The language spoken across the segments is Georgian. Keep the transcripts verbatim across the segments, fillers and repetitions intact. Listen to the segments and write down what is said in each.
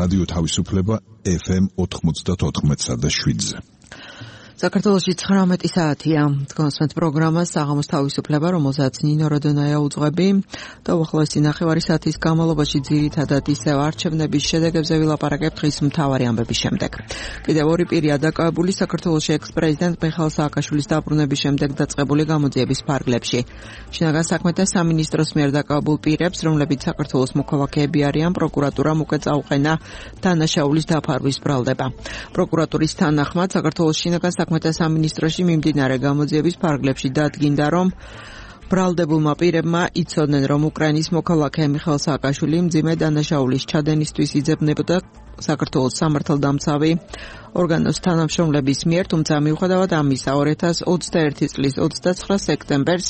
რადიო თავისუფლება ეფ ემ ოთხმოცდაოთხ და შვიდზე. საქართველოში ცხრამეტი საათია. გონსვენთ პროგრამა საღამოს თავისუფლება, რომელსაც ნინო როდონაია უძღვები და უახლოესი ნახევარი საათის განმავლობაში ძირითადად ისევ არჩევნების შედეგებზე ვილაპარაკებთ დღის მთავარი ამბების შემდეგ. კიდევ ორი პირია დაკავებული საქართველოში ექს-პრეზიდენტ მიხეილ სააკაშვილის დაბრუნების შემდეგ დაწყებული გამოძიების ფარგლებში. შინაგან საქმეთა სამინისტროს მიერ დაკავებულ პირებს, რომლებიც საქართველოს მოქალაქეები არიან, პროკურატურამ უკვე წაუყენა დანაშაულის დაფარვის ბრალდება. პროკურატურის თანახმად საქართველოს შინაგან საქმეთა სამინისტროში მიმდინარე გამოძიების ფარგლებში დადგინდა, რომ ბრალდებულმა პირებმა იცოდნენ, რომ უკრაინის მოქალაქე მიხეილ სააკაშვილი მძიმე დანაშაულის ჩადენისთვის იძებნებოდა საქართველოს სამართალდამცავი ორგანოს თანამშრომლების მიერ, თუმცა მიუხედავად ამისა, ორი ათას ოცდაერთი წლის ოცდაცხრა სექტემბერს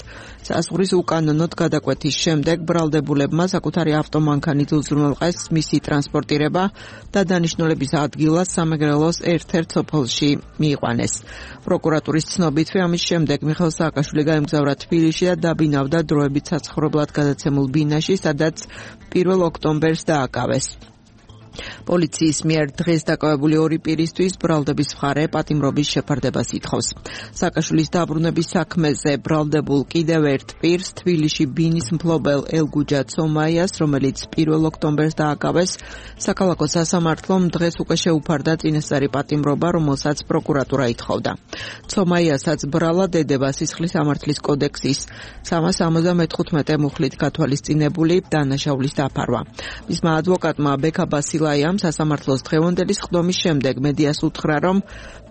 საზღვრის უკანონოდ გადაკვეთის შემდეგ ბრალდებულებმა საკუთარი ავტომანქანით უზრუნველყეს მისი ტრანსპორტირება და დანიშნულების ადგილას სამეგრელოს ერთ-ერთ სოფელში მიიყვანეს. პროკურატურის ცნობითვე ამის შემდეგ მიხეილ სააკაშვილი გაემგზავრა თბილისში და დაბინავდა დროებით საცხოვრებლად გადაცემულ ბინაში, სადაც პირველ ოქტომბერს დააკავეს. პოლიციის მიერ დღეს დაკავებული ორი პირისთვის ბრალდების მხარე პატიმრობის შეფარდებას ითხოვს. სააკაშვილის დაბრუნების საქმეზე ბრალდებულ კიდევ ერთ პირს, თბილისში ბინის მფლობელ ელგუჯა ცომაიას, რომელიც პირველ ოქტომბერს დააკავეს, საქალაქო სასამართლომ დღეს უკვე შეუფარდა წინასწარი პატიმრობა, რომელსაც პროკურატურა ითხოვდა. ცომაიასაც ბრალა დედება სისხლის სამართლის კოდექსის სამას ორმოცდამოთხმეტე მუხლით გათვალისწინებული დანაშაულის დაფარვა. მისმა ადვოკატმა ბექა ბასილაიამ სასამართლოს დღევანდელი სხდომის შემდეგ მედიას უთხრა, რომ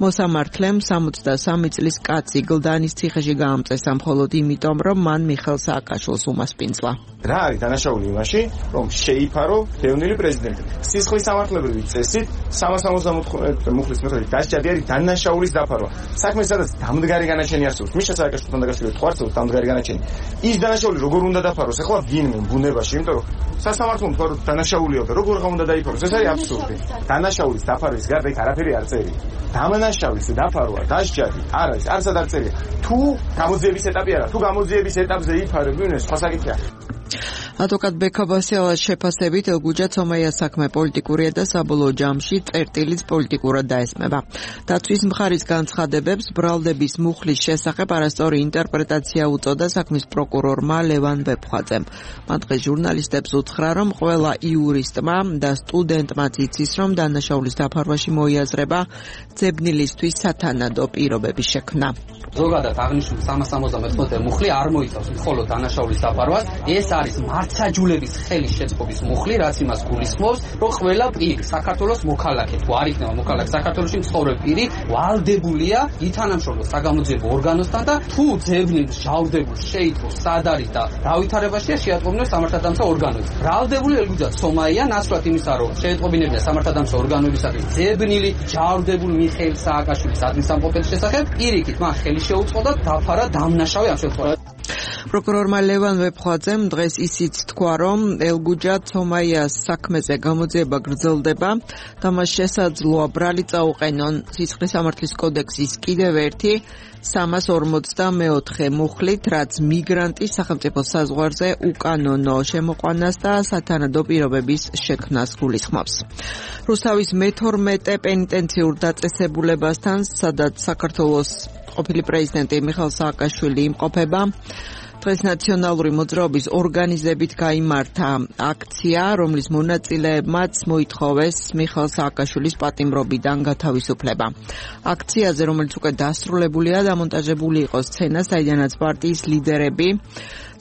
მოსამართლემ სამოცდასამი წლის კაცი გლდანის ციხეში გაამწესა მხოლოდ იმიტომ, რომ მან მიხეილ სააკაშვილს უმასპინძლა. რა არის დანაშაული იმაში, რომ შეიფარო დევნილი პრეზიდენტი. სისხლის სამართლებრივი წესით სამას ორმოცდამოთხმეტე მუხლის მიხედვით დასჯადი არის დანაშაულის დაფარვა. საქმე სადაც დამდგარი განაჩენი არსებობს, მიშა სააკაშვილთან დაკავშირებით ხო არსებობს დამდგარი განაჩენი. ის დანაშაული როგორ უნდა დაფაროს? ეხლა ვინმე ბუნებაში, იმიტომ რომ სასამართლომ თქვა რომ დანაშაულია და როგორ აღარ უნდა დაიფაროს? ეს არის აბსურდი. დანაშაულის დაფარვის გარდა იქ არაფერი არ წერია. დანაშაულის დაფარვა, დასჯადი არ არის, არცად არ წერია. თუ გამოძიების ეტაპი არა, თუ გამოძიების ეტაპზე იფარებ, ვინმე სხვა საკითხია. ადვოკატ ბექა ბასილაის შეფასებით ელგუჯა ცომაიას საქმე პოლიტიკურია და საბოლოო ჯამში წერტილიც პოლიტიკურად დაესმება. დაცვის მხარის განცხადებებს ბრალდების მუხლის შესახებ არასწორი ინტერპრეტაცია უწოდა საქმის პროკურორმა ლევან ვეფხვაძემ. მან დღეს ჟურნალისტებს უთხრა, რომ ყველა იურისტმა და სტუდენტმაც იცის, რომ დანაშაულის დაფარვაში მოიაზრება ძებნილისთვის სათანადო პირობების შექმნა. ზოგადად აღნიშნული სამას ორმოცდამოთხმეტე მუხლი არ მოიცავს მხოლოდ დანაშაულის დაფარვას, ეს არის მართლმსაჯულების ხელის შეწყობის მუხლი, რაც იმას გულისხმობს, რომ ყველა პირი საქართველოს მოქალაქე, თუ არ იქნება მოქალაქე საქართველოში მცხოვრები პირი, ვალდებულია ითანამშრომლოს საგამოძიებო ორგანოსთან და თუ ძებნილს ჟავრდებულს შეიტყოს სად არის და რა ვითარებაშია შეატყობინოს სამართალდამცავ ორგანოებს. ბრალდებული ელგუჯა ცომაია ნაცვლად იმისა, რომ შეეტყობინებია სამართალდამცავ ორგანოებისათვის ძებნილი ჟავრდებულ მიხეილ სააკაშვილის ადმისამყოფელის შესახებ, პირიქით მან ხელი შეუწყო და დაფარა დამნაშავე ამ შემთხვევაში. პროკურორმა ლევან ვეფხვაძემ დღეს ისიც თქვა, რომ ელგუჯა ცომაიას საქმეზე გამოძიება გრძელდება და მას შესაძლოა ბრალი წაუყენონ სისხლის სამართლის კოდექსის კიდევ ერთი სამას ორმოცდამეოთხე მუხლით, რაც მიგრანტის სახელმწიფო საზღვარზე უკანონო შემოყვანას და სათანადო პირობების შექმნას გულისხმობს. რუსთავის მეთორმეტე პენიტენციურ დაწესებულებასთან, სადაც საქართველოს ყოფილი პრეზიდენტი მიხეილ სააკაშვილი იმყოფება, დღეს ნაციონალური მოძრაობის ორგანიზებით გაიმართა აქცია, რომლის მონაწილეებმაც მოითხოვეს მიხეილ სააკაშვილის პატიმრობიდან გათავისუფლება. აქციაზე, რომელიც უკვე დასრულებულია, დამონტაჟებული იყო სცენა, საიდანაც პარტიის ლიდერები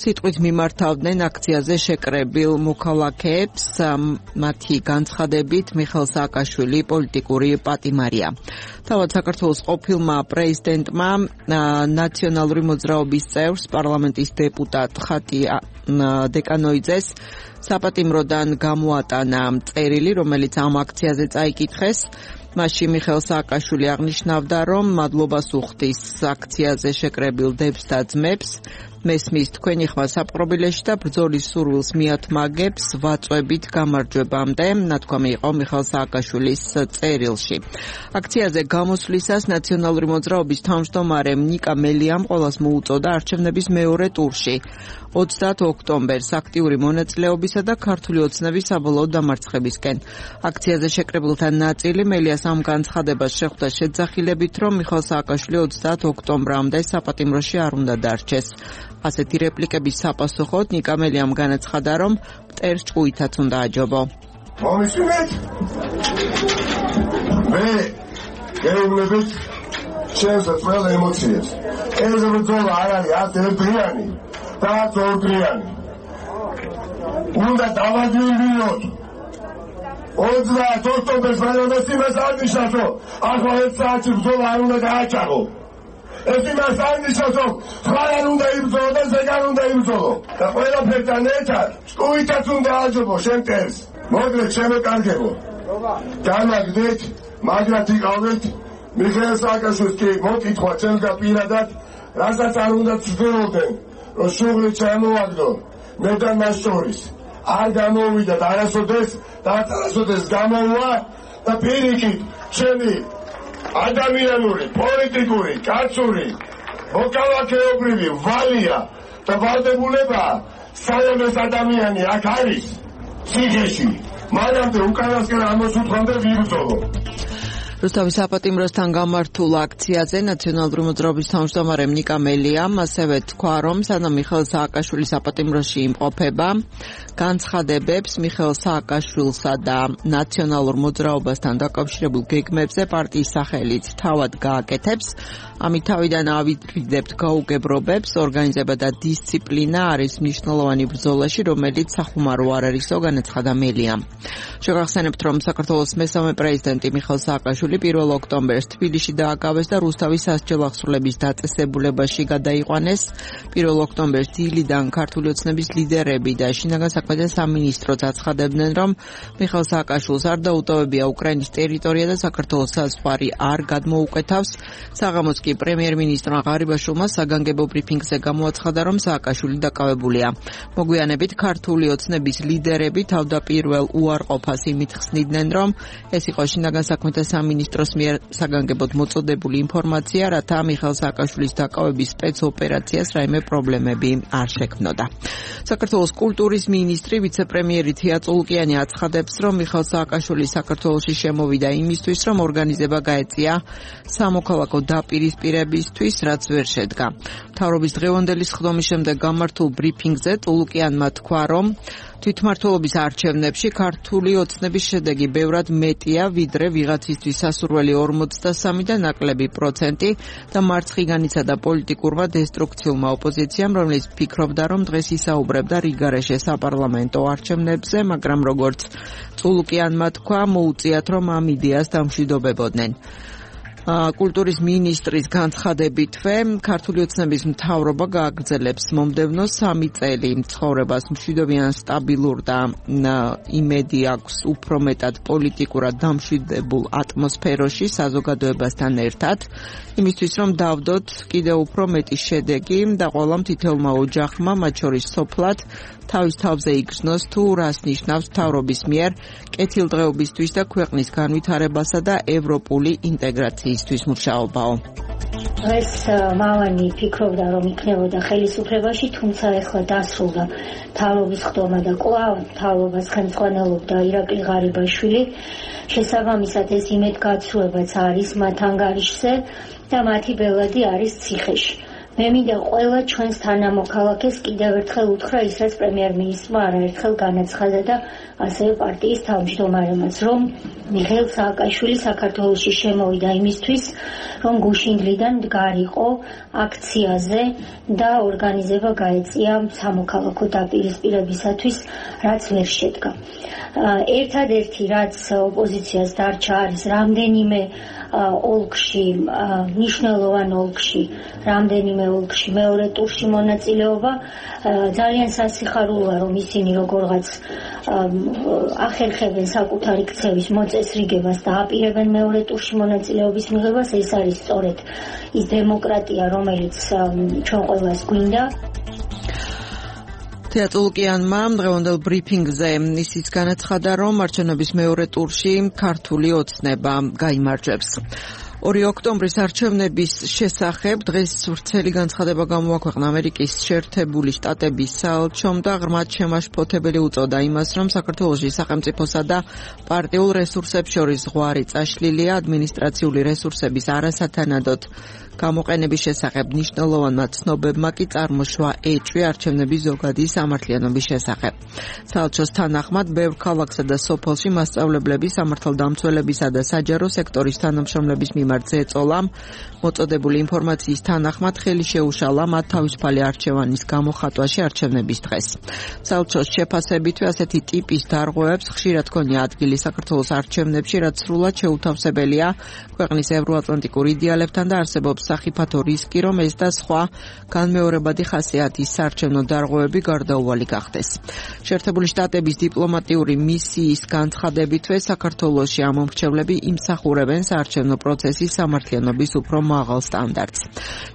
სიტყვით მიმართავდნენ აქციაზე შეკრებილ მოქალაქეებს. მათი განცხადებით მიხეილ სააკაშვილი პოლიტიკური პატიმარია. თავად საქართველოს ყოფილმა პრეზიდენტმა ნაციონალური მოძრაობის წევრს პარლამენტის დეპუტატ ხატია დეკანოიძეს საპატიმროდან გამოატანა წერილი, რომელიც ამ აქციაზე წაიკითხეს. მასში მიხეილ სააკაშვილი აღნიშნავდა, რომ მადლობას უხდის აქციაზე შეკრებილ დებს და ძმებს მესმის თქვენი ხმა საპყრობილეში და ბრძოლის სურვილს მიათმაგებს ვაწვევით გამარჯვებამდე, ნათქვამი იყო მიხეილ სააკაშვილის წერილში. აქციაზე გამოსვლისას ნაციონალური მოძრაობის თავმჯდომარე ნიკა მელიამ ყოველას მოუწოდა არჩევნების მეორე ტურში ოცდაათი ოქტომბერს აქტიური მონაწილეობისა და ქართული ოცნების საბოლოო დამარცხებისკენ. აქციაზე შეკრებილთა ნაწილი მელიას ამ განცხადებას შეხვდა შეძახილებით, რომ მიხეილ სააკაშვილი ოცდაათი ოქტომბრამდე საპატიმროში არ უნდა დარჩეს. ასეთი რეპლიკების საპასუხოდ ნიკა მელიამ განაცხადა, რომ მტერს ჭკუითაც უნდა აჯობო. მომისმინეთ? მე გეუბნებით ჩემს ყველა ემოციებს. ეს ბრძოლა არ არის არც ერთდღიანი და არც ორდღიანი. უნდა დავაძიებინოთ. ოცდაათი ოქტომბერს მანამდე იმას არ ნიშნავს, რომ ახლა ერთ საათში ბრძოლა არ უნდა გააჩაღო. ეს იმას არ ნიშნავს, რომ ხარ არ უნდა იბრძოლო და ზეგარ უნდა იბრძოლო. და ყველაფერთან ერთად ჭკუითაც უნდა აჯობო შენ მტერს. მოდრეთ ჩემო კარგებო. განაგდეთ, მაგრად იყავით მიხეილ სააკაშვილს კი მოკითხვა ჩემსგან პირადად, რასაც არ უნდა ცდილობდნენ, რომ შუღლი ჩამოვაგდო მე და მას შორის. არ გამოვიდა და არასოდეს და არასოდეს გამოვა და პირიქით ჩემი ადამიანური, პოლიტიკური, კაცური, მოქალაქეობრივი ვალია და ვალდებულება საერთოდ ადამიანი აქ არის ციხეში. მანამდე უკანასკენ ამოსუთხვამდე ვიბრძოლო. რუსთავის საპატიმროსთან გამართულ აქციაზე ნაციონალური მოძრაობის თავმჯდომარე ნიკა მელიამ ასევე თქვა, რომ სანამ მიხეილ სააკაშვილი საპატიმროში იმყოფება, განცხადებებს მიხეილ სააკაშვილსა და ნაციონალურ მოძრაობასთან დაკავშირებულ გეგმებზე პარტიის სახელით თავად გააკეთებს. ამით თავიდან ავიდრიდებთ გაუგებრობებს, ორგანიზება და დისციპლინა არის მნიშვნელოვანი ბრძოლაში, რომელიც სახუმარო არ არისო, განაცხადა მელიამ. შეგახსენებთ, რომ საქართველოს მესამე პრეზიდენტი მიხეილ სააკაშვილი პირველ ოქტომბერს თბილისში დააკავეს და რუსთავის სასჯელ აღსრულების დაწესებულებაში გადაიყვანეს. პირველ ოქტომბერს დილიდან ქართული ოცნების ლიდერები და შინაგან საქმეთა სამინისტროც აცხადებდნენ, რომ მიხეილ სააკაშვილს არ დაუტოვებია უკრაინის ტერიტორია და საქართველოს საზღვარი არ გადმოუკვეთავს. საღამოს კი პრემიერ-მინისტრმა ღარიბაშვილმა საგანგებო ბრიფინგზე გამოაცხადა, რომ სააკაშვილი დაკავებულია. მოგვიანებით ქართული ოცნების ლიდერები თავდაპირველ უარყოფას იმით ხსნიდნენ, რომ ეს იყო შინაგან საქმეთა სამინისტროს მიერ საგანგებოდ მოწოდებული ინფორმაცია, რათა მიხეილ სააკაშვილის დაკავების სპეცოპერაციას რაიმე პრობლემები არ შექმნოდა. საქართველოს კულტურის მინისტრი ვიცე-პრემიერი თია წულუკიანი აცხადებს, რომ მიხეილ სააკაშვილი საქართველოში შემოვიდა იმისთვის, რომ ორგანიზება გაეწია სამოქალაქო დაპირისპირებისთვის, რაც ვერ შედგა. მთავრობის დღევანდელი სხდომის შემდეგ გამართულ ბრიფინგზე წულუკიანმა თქვა, რომ თვითმმართველობის არჩევნებში ქართული ოცნების შედეგი ბევრად მეტია, ვიდრე ვიღაცისთვის სასურველი ორმოცდასამი და ნაკლები პროცენტი და მარცხი განიცადა პოლიტიკურმა დესტრუქციულმა ოპოზიციამ, რომელიც ფიქრობდა, რომ დღეს ისაუბრებდა რიგარეშე საპარლამენტო არჩევნებზე, მაგრამ როგორც წულუკიანმა თქვა, მოუწიათ, რომ ამ იდეას დამშვიდობებოდნენ. კულტურის მინისტრის განცხადებითვე ქართული ოცნების მთავრობა გააგრძელებს მომდევნო სამი წელი ცხოვრებას მშვიდობიან სტაბილურ და იმედი აქვს უფრო მეტად პოლიტიკურად დამშვიდებულ ატმოსფეროში საზოგადოებასთან ერთად, იმისთვის რომ დავდოთ კიდევ უფრო მეტი შედეგი და ყველა მთითეულმა ოჯახმა, მათ შორის სოფლად, თავის თავზე იგრძნოს თუ რას ნიშნავს მთავრობის მიერ კეთილდღეობისთვის და ქვეყნის განვითარებასა და ევროპული ინტეგრაციისთვის მუშაობაო. ეს მალანი ფიქრობდა, რომ იქნებოდა ხელისუფლებაში, თუმცა ეხლა დასრულდა მთავრობის ხდომა და კვლავ მთავრობას ხელმძღვანელობდა ირაკლი ღარიბაშვილი. შესაბამისად ეს იმედგაცრუებაც არის მათ ანგარიშზე და მათი ბელადი არის ციხეში. მე მინდა ყველა ჩვენს თანამოქალაქეს კიდევ ერთხელ უთხრა ის, რაც პრემიერ-მინისტრმა არაერთხელ განაცხადა და ასევე პარტიის თავმჯდომარემაც, რომ მიხეილ სააკაშვილი საქართველოში შემოვიდა იმისთვის, რომ გუშინდლიდან მდგარიყო აქციაზე და ორგანიზება გაეწია სამოქალაქო დაპირისპირებისათვის, რაც ვერ შედგა. ერთადერთი, რაც ოპოზიციას დარჩა, არის რამდენიმე ოლქში, მნიშვნელოვან ოლქში, რამდენიმე ოლქში მეორე ტურში მონაწილეობა. ძალიან სასიხარულოა, რომ ისინი როგორღაც ახერხებენ საკუთარი ქცევის მოწესრიგებას და აპირებენ მეორე ტურში მონაწილეობის მიღებას. ეს არის სწორედ ის დემოკრატია, რომელიც ჩვენ ყველას გვინდა. თეატრულკიანმა დღევანდელ ბრიფინგზე ისიც განაცხადა, რომ არჩევნების მეორე ტურში ქართული ოცნება გაიმარჯვებს. ორი ოქტომბრის არჩევნების შესახებ დღეს ვრცელი განცხადება გამოაქვეყნა ამერიკის შეერთებული შტატების საელჩომ და ღრმად შემაშფოთებელი უწოდა იმას, რომ საქართველოში სახელმწიფოსა და პარტიულ რესურსებს შორის ზღვარი წაშლილია, ადმინისტრაციული რესურსების არასათანადოდ გამოყენების შესახებ მნიშვნელოვანმა ცნობებმა კი წარმოშვა ეჭვი არჩევნების ზოგადი სამართლიანობის შესახებ. საელჩოს თანახმად, ბევრ ქალაქსა და სოფელში მასწავლებლები, სამართალდამცველებისა და საჯარო სექტორის თანამშრომლების მიმართ ზეწოლამ მოწოდებული ინფორმაციის თანახმად ხელი შეუშალა მათ თავისუფალი არჩევანის გამოხატვაში არჩევნების დღეს. საელჩოს შეფასებითვე ასეთი ტიპის დარღვევებს ხშირად ჰქონია ადგილი საქართველოს არჩევნებში, რაც სრულად შეუთავსებელია ქვეყნის ევროატლანტიკურ იდეალებთან და არსებობს სახიფათო რისკი, რომ ეს და სხვა განმეორებადი ხასიათის საარჩევნო დარღვევები გარდაუვალი გახდეს. შეერთებული შტატების დიპლომატიური მისიის განცხადებითვე საქართველოში ამომრჩევლები იმსახურებენ საარჩევნო პროცესის სამართლიანობის უფრო მაღალ სტანდარტს.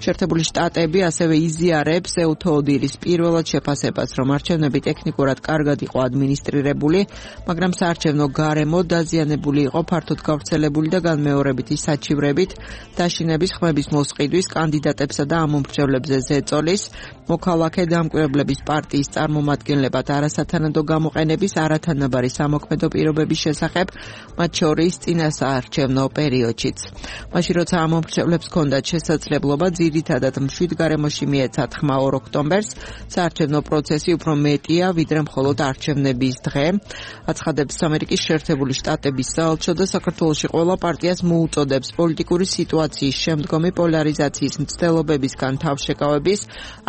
შეერთებული შტატები ასევე იზიარებს ეუთოუდილის პირველად შეფასებას, რომ არჩევნები ტექნიკურად კარგად იყო ადმინისტრირებული, მაგრამ საარჩევნო გარემო დაზიანებული იყო ფართოდ გავრცელებული და განმეორებითი საჩივრებით, დაშინების ხმების მოსყიდვის, კანდიდატებსა და ამომრჩევლებზე ზეწოლის, მოქალაქე დამკვირვებლების პარტიის წარმომადგენლებად არასათანადო გამოყენების, არათანაბარი სამოქმედო პირობების შესახებ, მათ შორის წინასაარჩევნო პერიოდშიც. მაშინ როცა ამომრჩევლებს ჰქონდათ შესაძლებლობა ძირითადად მშვიდ გარემოში მიეცათ ხმა ორ ოქტომბერს, საარჩევნო პროცესი უფრო მეტია, ვიდრე მხოლოდ არჩევნების დღე. აცხადებს ამერიკის შეერთებული შტატების საელჩო და საქართველოში ყველა პარტიას მოუწოდებს პოლიტიკური სიტუაციის შემდგომი პოლარიზაციის მცდელობებისგან თავშეკავების,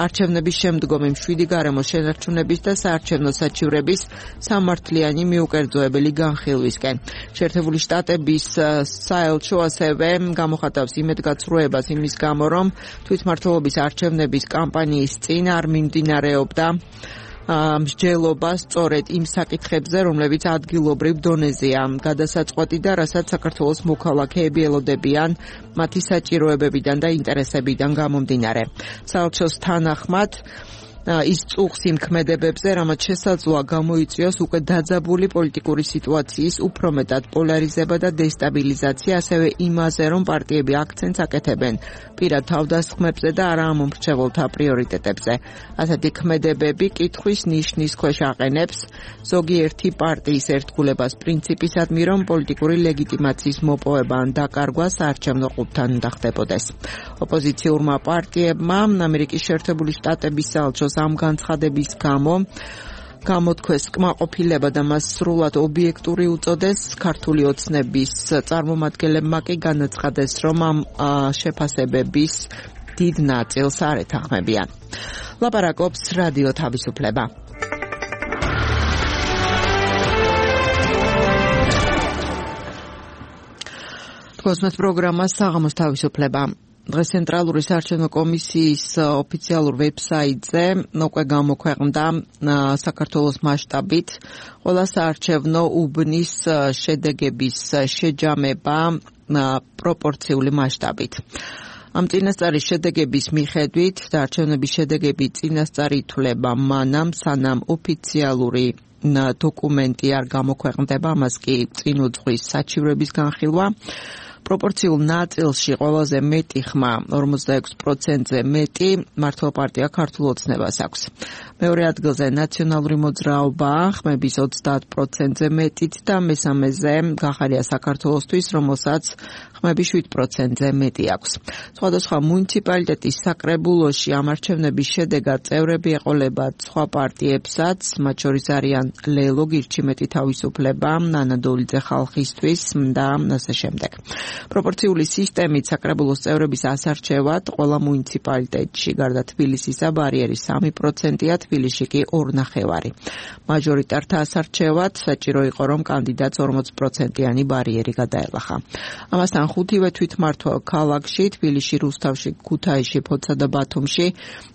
არჩევნების შემდგომი მშვიდი გარემოს შენარჩუნების და საარჩევნო საჩივრების სამართლიანი მიუკერძოებელი განხილვისკენ. შეერთებული შტატების საელჩო ასევე გამოხატავს იმედგაცრუებას იმის გამო, რომ თვითმმართველობის არჩევნების კამპანიის წინ არ მიმდინარეობდა მსჯელობა სწორედ იმ საკითხებზე, რომლებიც ადგილობრივ დონეზეა გადასაწყვეტი და რასაც საქართველოს მოქალაქეები ელოდებიან მათი საჭიროებებიდან და ინტერესებიდან გამომდინარე. საელჩოს თანახმად ის წუხს იმ ქმედებებზე, რამაც შესაძლოა გამოიწვიოს უკვე დაძაბული პოლიტიკური სიტუაციის უფრო მეტად პოლარიზება და დესტაბილიზაცია, ასევე იმაზე, რომ პარტიები აქცენტს აკეთებენ პირად თავდასხმებზე და არა ამომრჩეველთა პრიორიტეტებზე. ასეთი ქმედებები კითხვის ნიშნის ქვეშ აყენებს ზოგიერთი პარტიის ერთგულებას პრინციპისადმი, რომ პოლიტიკური ლეგიტიმაციის მოპოვება ან დაკარგვა საარჩევნო ყუთთან უნდა ხდებოდეს. ოპოზიციურმა პარტიებმა ამერიკის შეერთებული შტატების საელჩოს ამ განცხადების გამო გამოთქვეს კმაყოფილება და მას სრულად ობიექტური უწოდეს. ქართული ოცნების წარმომადგენლებმა კი განაცხადეს, რომ ამ შეფასებების დიდ ნაწილს არ ეთანხმებიან. ლაპარაკობს რადიო თავისუფლება. თქოსმეთ პროგრამა საღამოს თავისუფლება. დღეს ცენტრალური საარჩევნო კომისიის ოფიციალურ ვებსაიტზე უკვე გამოქვეყნდა საქართველოს მასშტაბით ყველა საარჩევნო უბნის შედეგების შეჯამება პროპორციული მასშტაბით. ამ წინასწარის შედეგების მიხედვით და არჩევნების შედეგები წინასწარი ითვლება მანამ, სანამ ოფიციალური დოკუმენტი არ გამოქვეყნდება, ამას კი წინ უძღვის საჩივრების განხილვა. პროპორციულ ნაწილში ყველაზე მეტი ხმა ორმოცდაექვსი პროცენტზე მეტი მართლ პარტია ქართულ ოცნებას აქვს. მეორე ადგილზე ნაციონალური მოძრაობა ხმების ოცდაათ პროცენტზე მეტით და მესამეზე გახარია საქართველოსთვის, რომელსაც ხმები შვიდ პროცენტზე მეტი აქვს. სხვადასხვა მუნიციპალიტეტის საკრებულოში ამ არჩევნების შედეგად წევრები ეყოლებათ სხვა პარტიებსაც, მათ შორის არიან ლელო, გირჩიმეტი თავისუფლება, ნანა დოლიძე ხალხისთვის და ასე შემდეგ. პროპორციული სისტემით საკრებულოს წევრების ასარჩევად ყველა მუნიციპალიტეტში გარდა თბილისისა ბარიერი სამი პროცენტია, თბილისში კი ორი ნახევარი. მაჟორიტართა ასარჩევად საჭირო იყო, რომ კანდიდატს ორმოცი პროცენტიანი ბარიერი გადაელახა. ამასთან ხუთივე თვითმმართველ ქალაქში, თბილისში, რუსთავში, ქუთაისში, ფოთსა და ბათუმში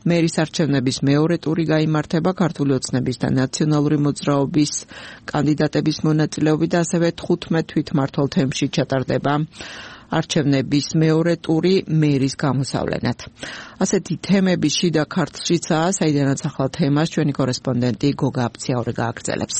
მერის არჩევნების მეორე ტური გაიმართება ქართული ოცნების და ნაციონალური მოძრაობის კანდიდატების მონაწილეობით, ასევე თხუთმეტ თვითმმართველ თემში ჩატარდება არჩევნების მეორე ტური მერის გამოსავლენად. ასეთი თემები შიდა ქართლშიცაა, საიდანაც ახალ თემას ჩვენი კორესპონდენტი გოგა აფციაური გააგრძელებს.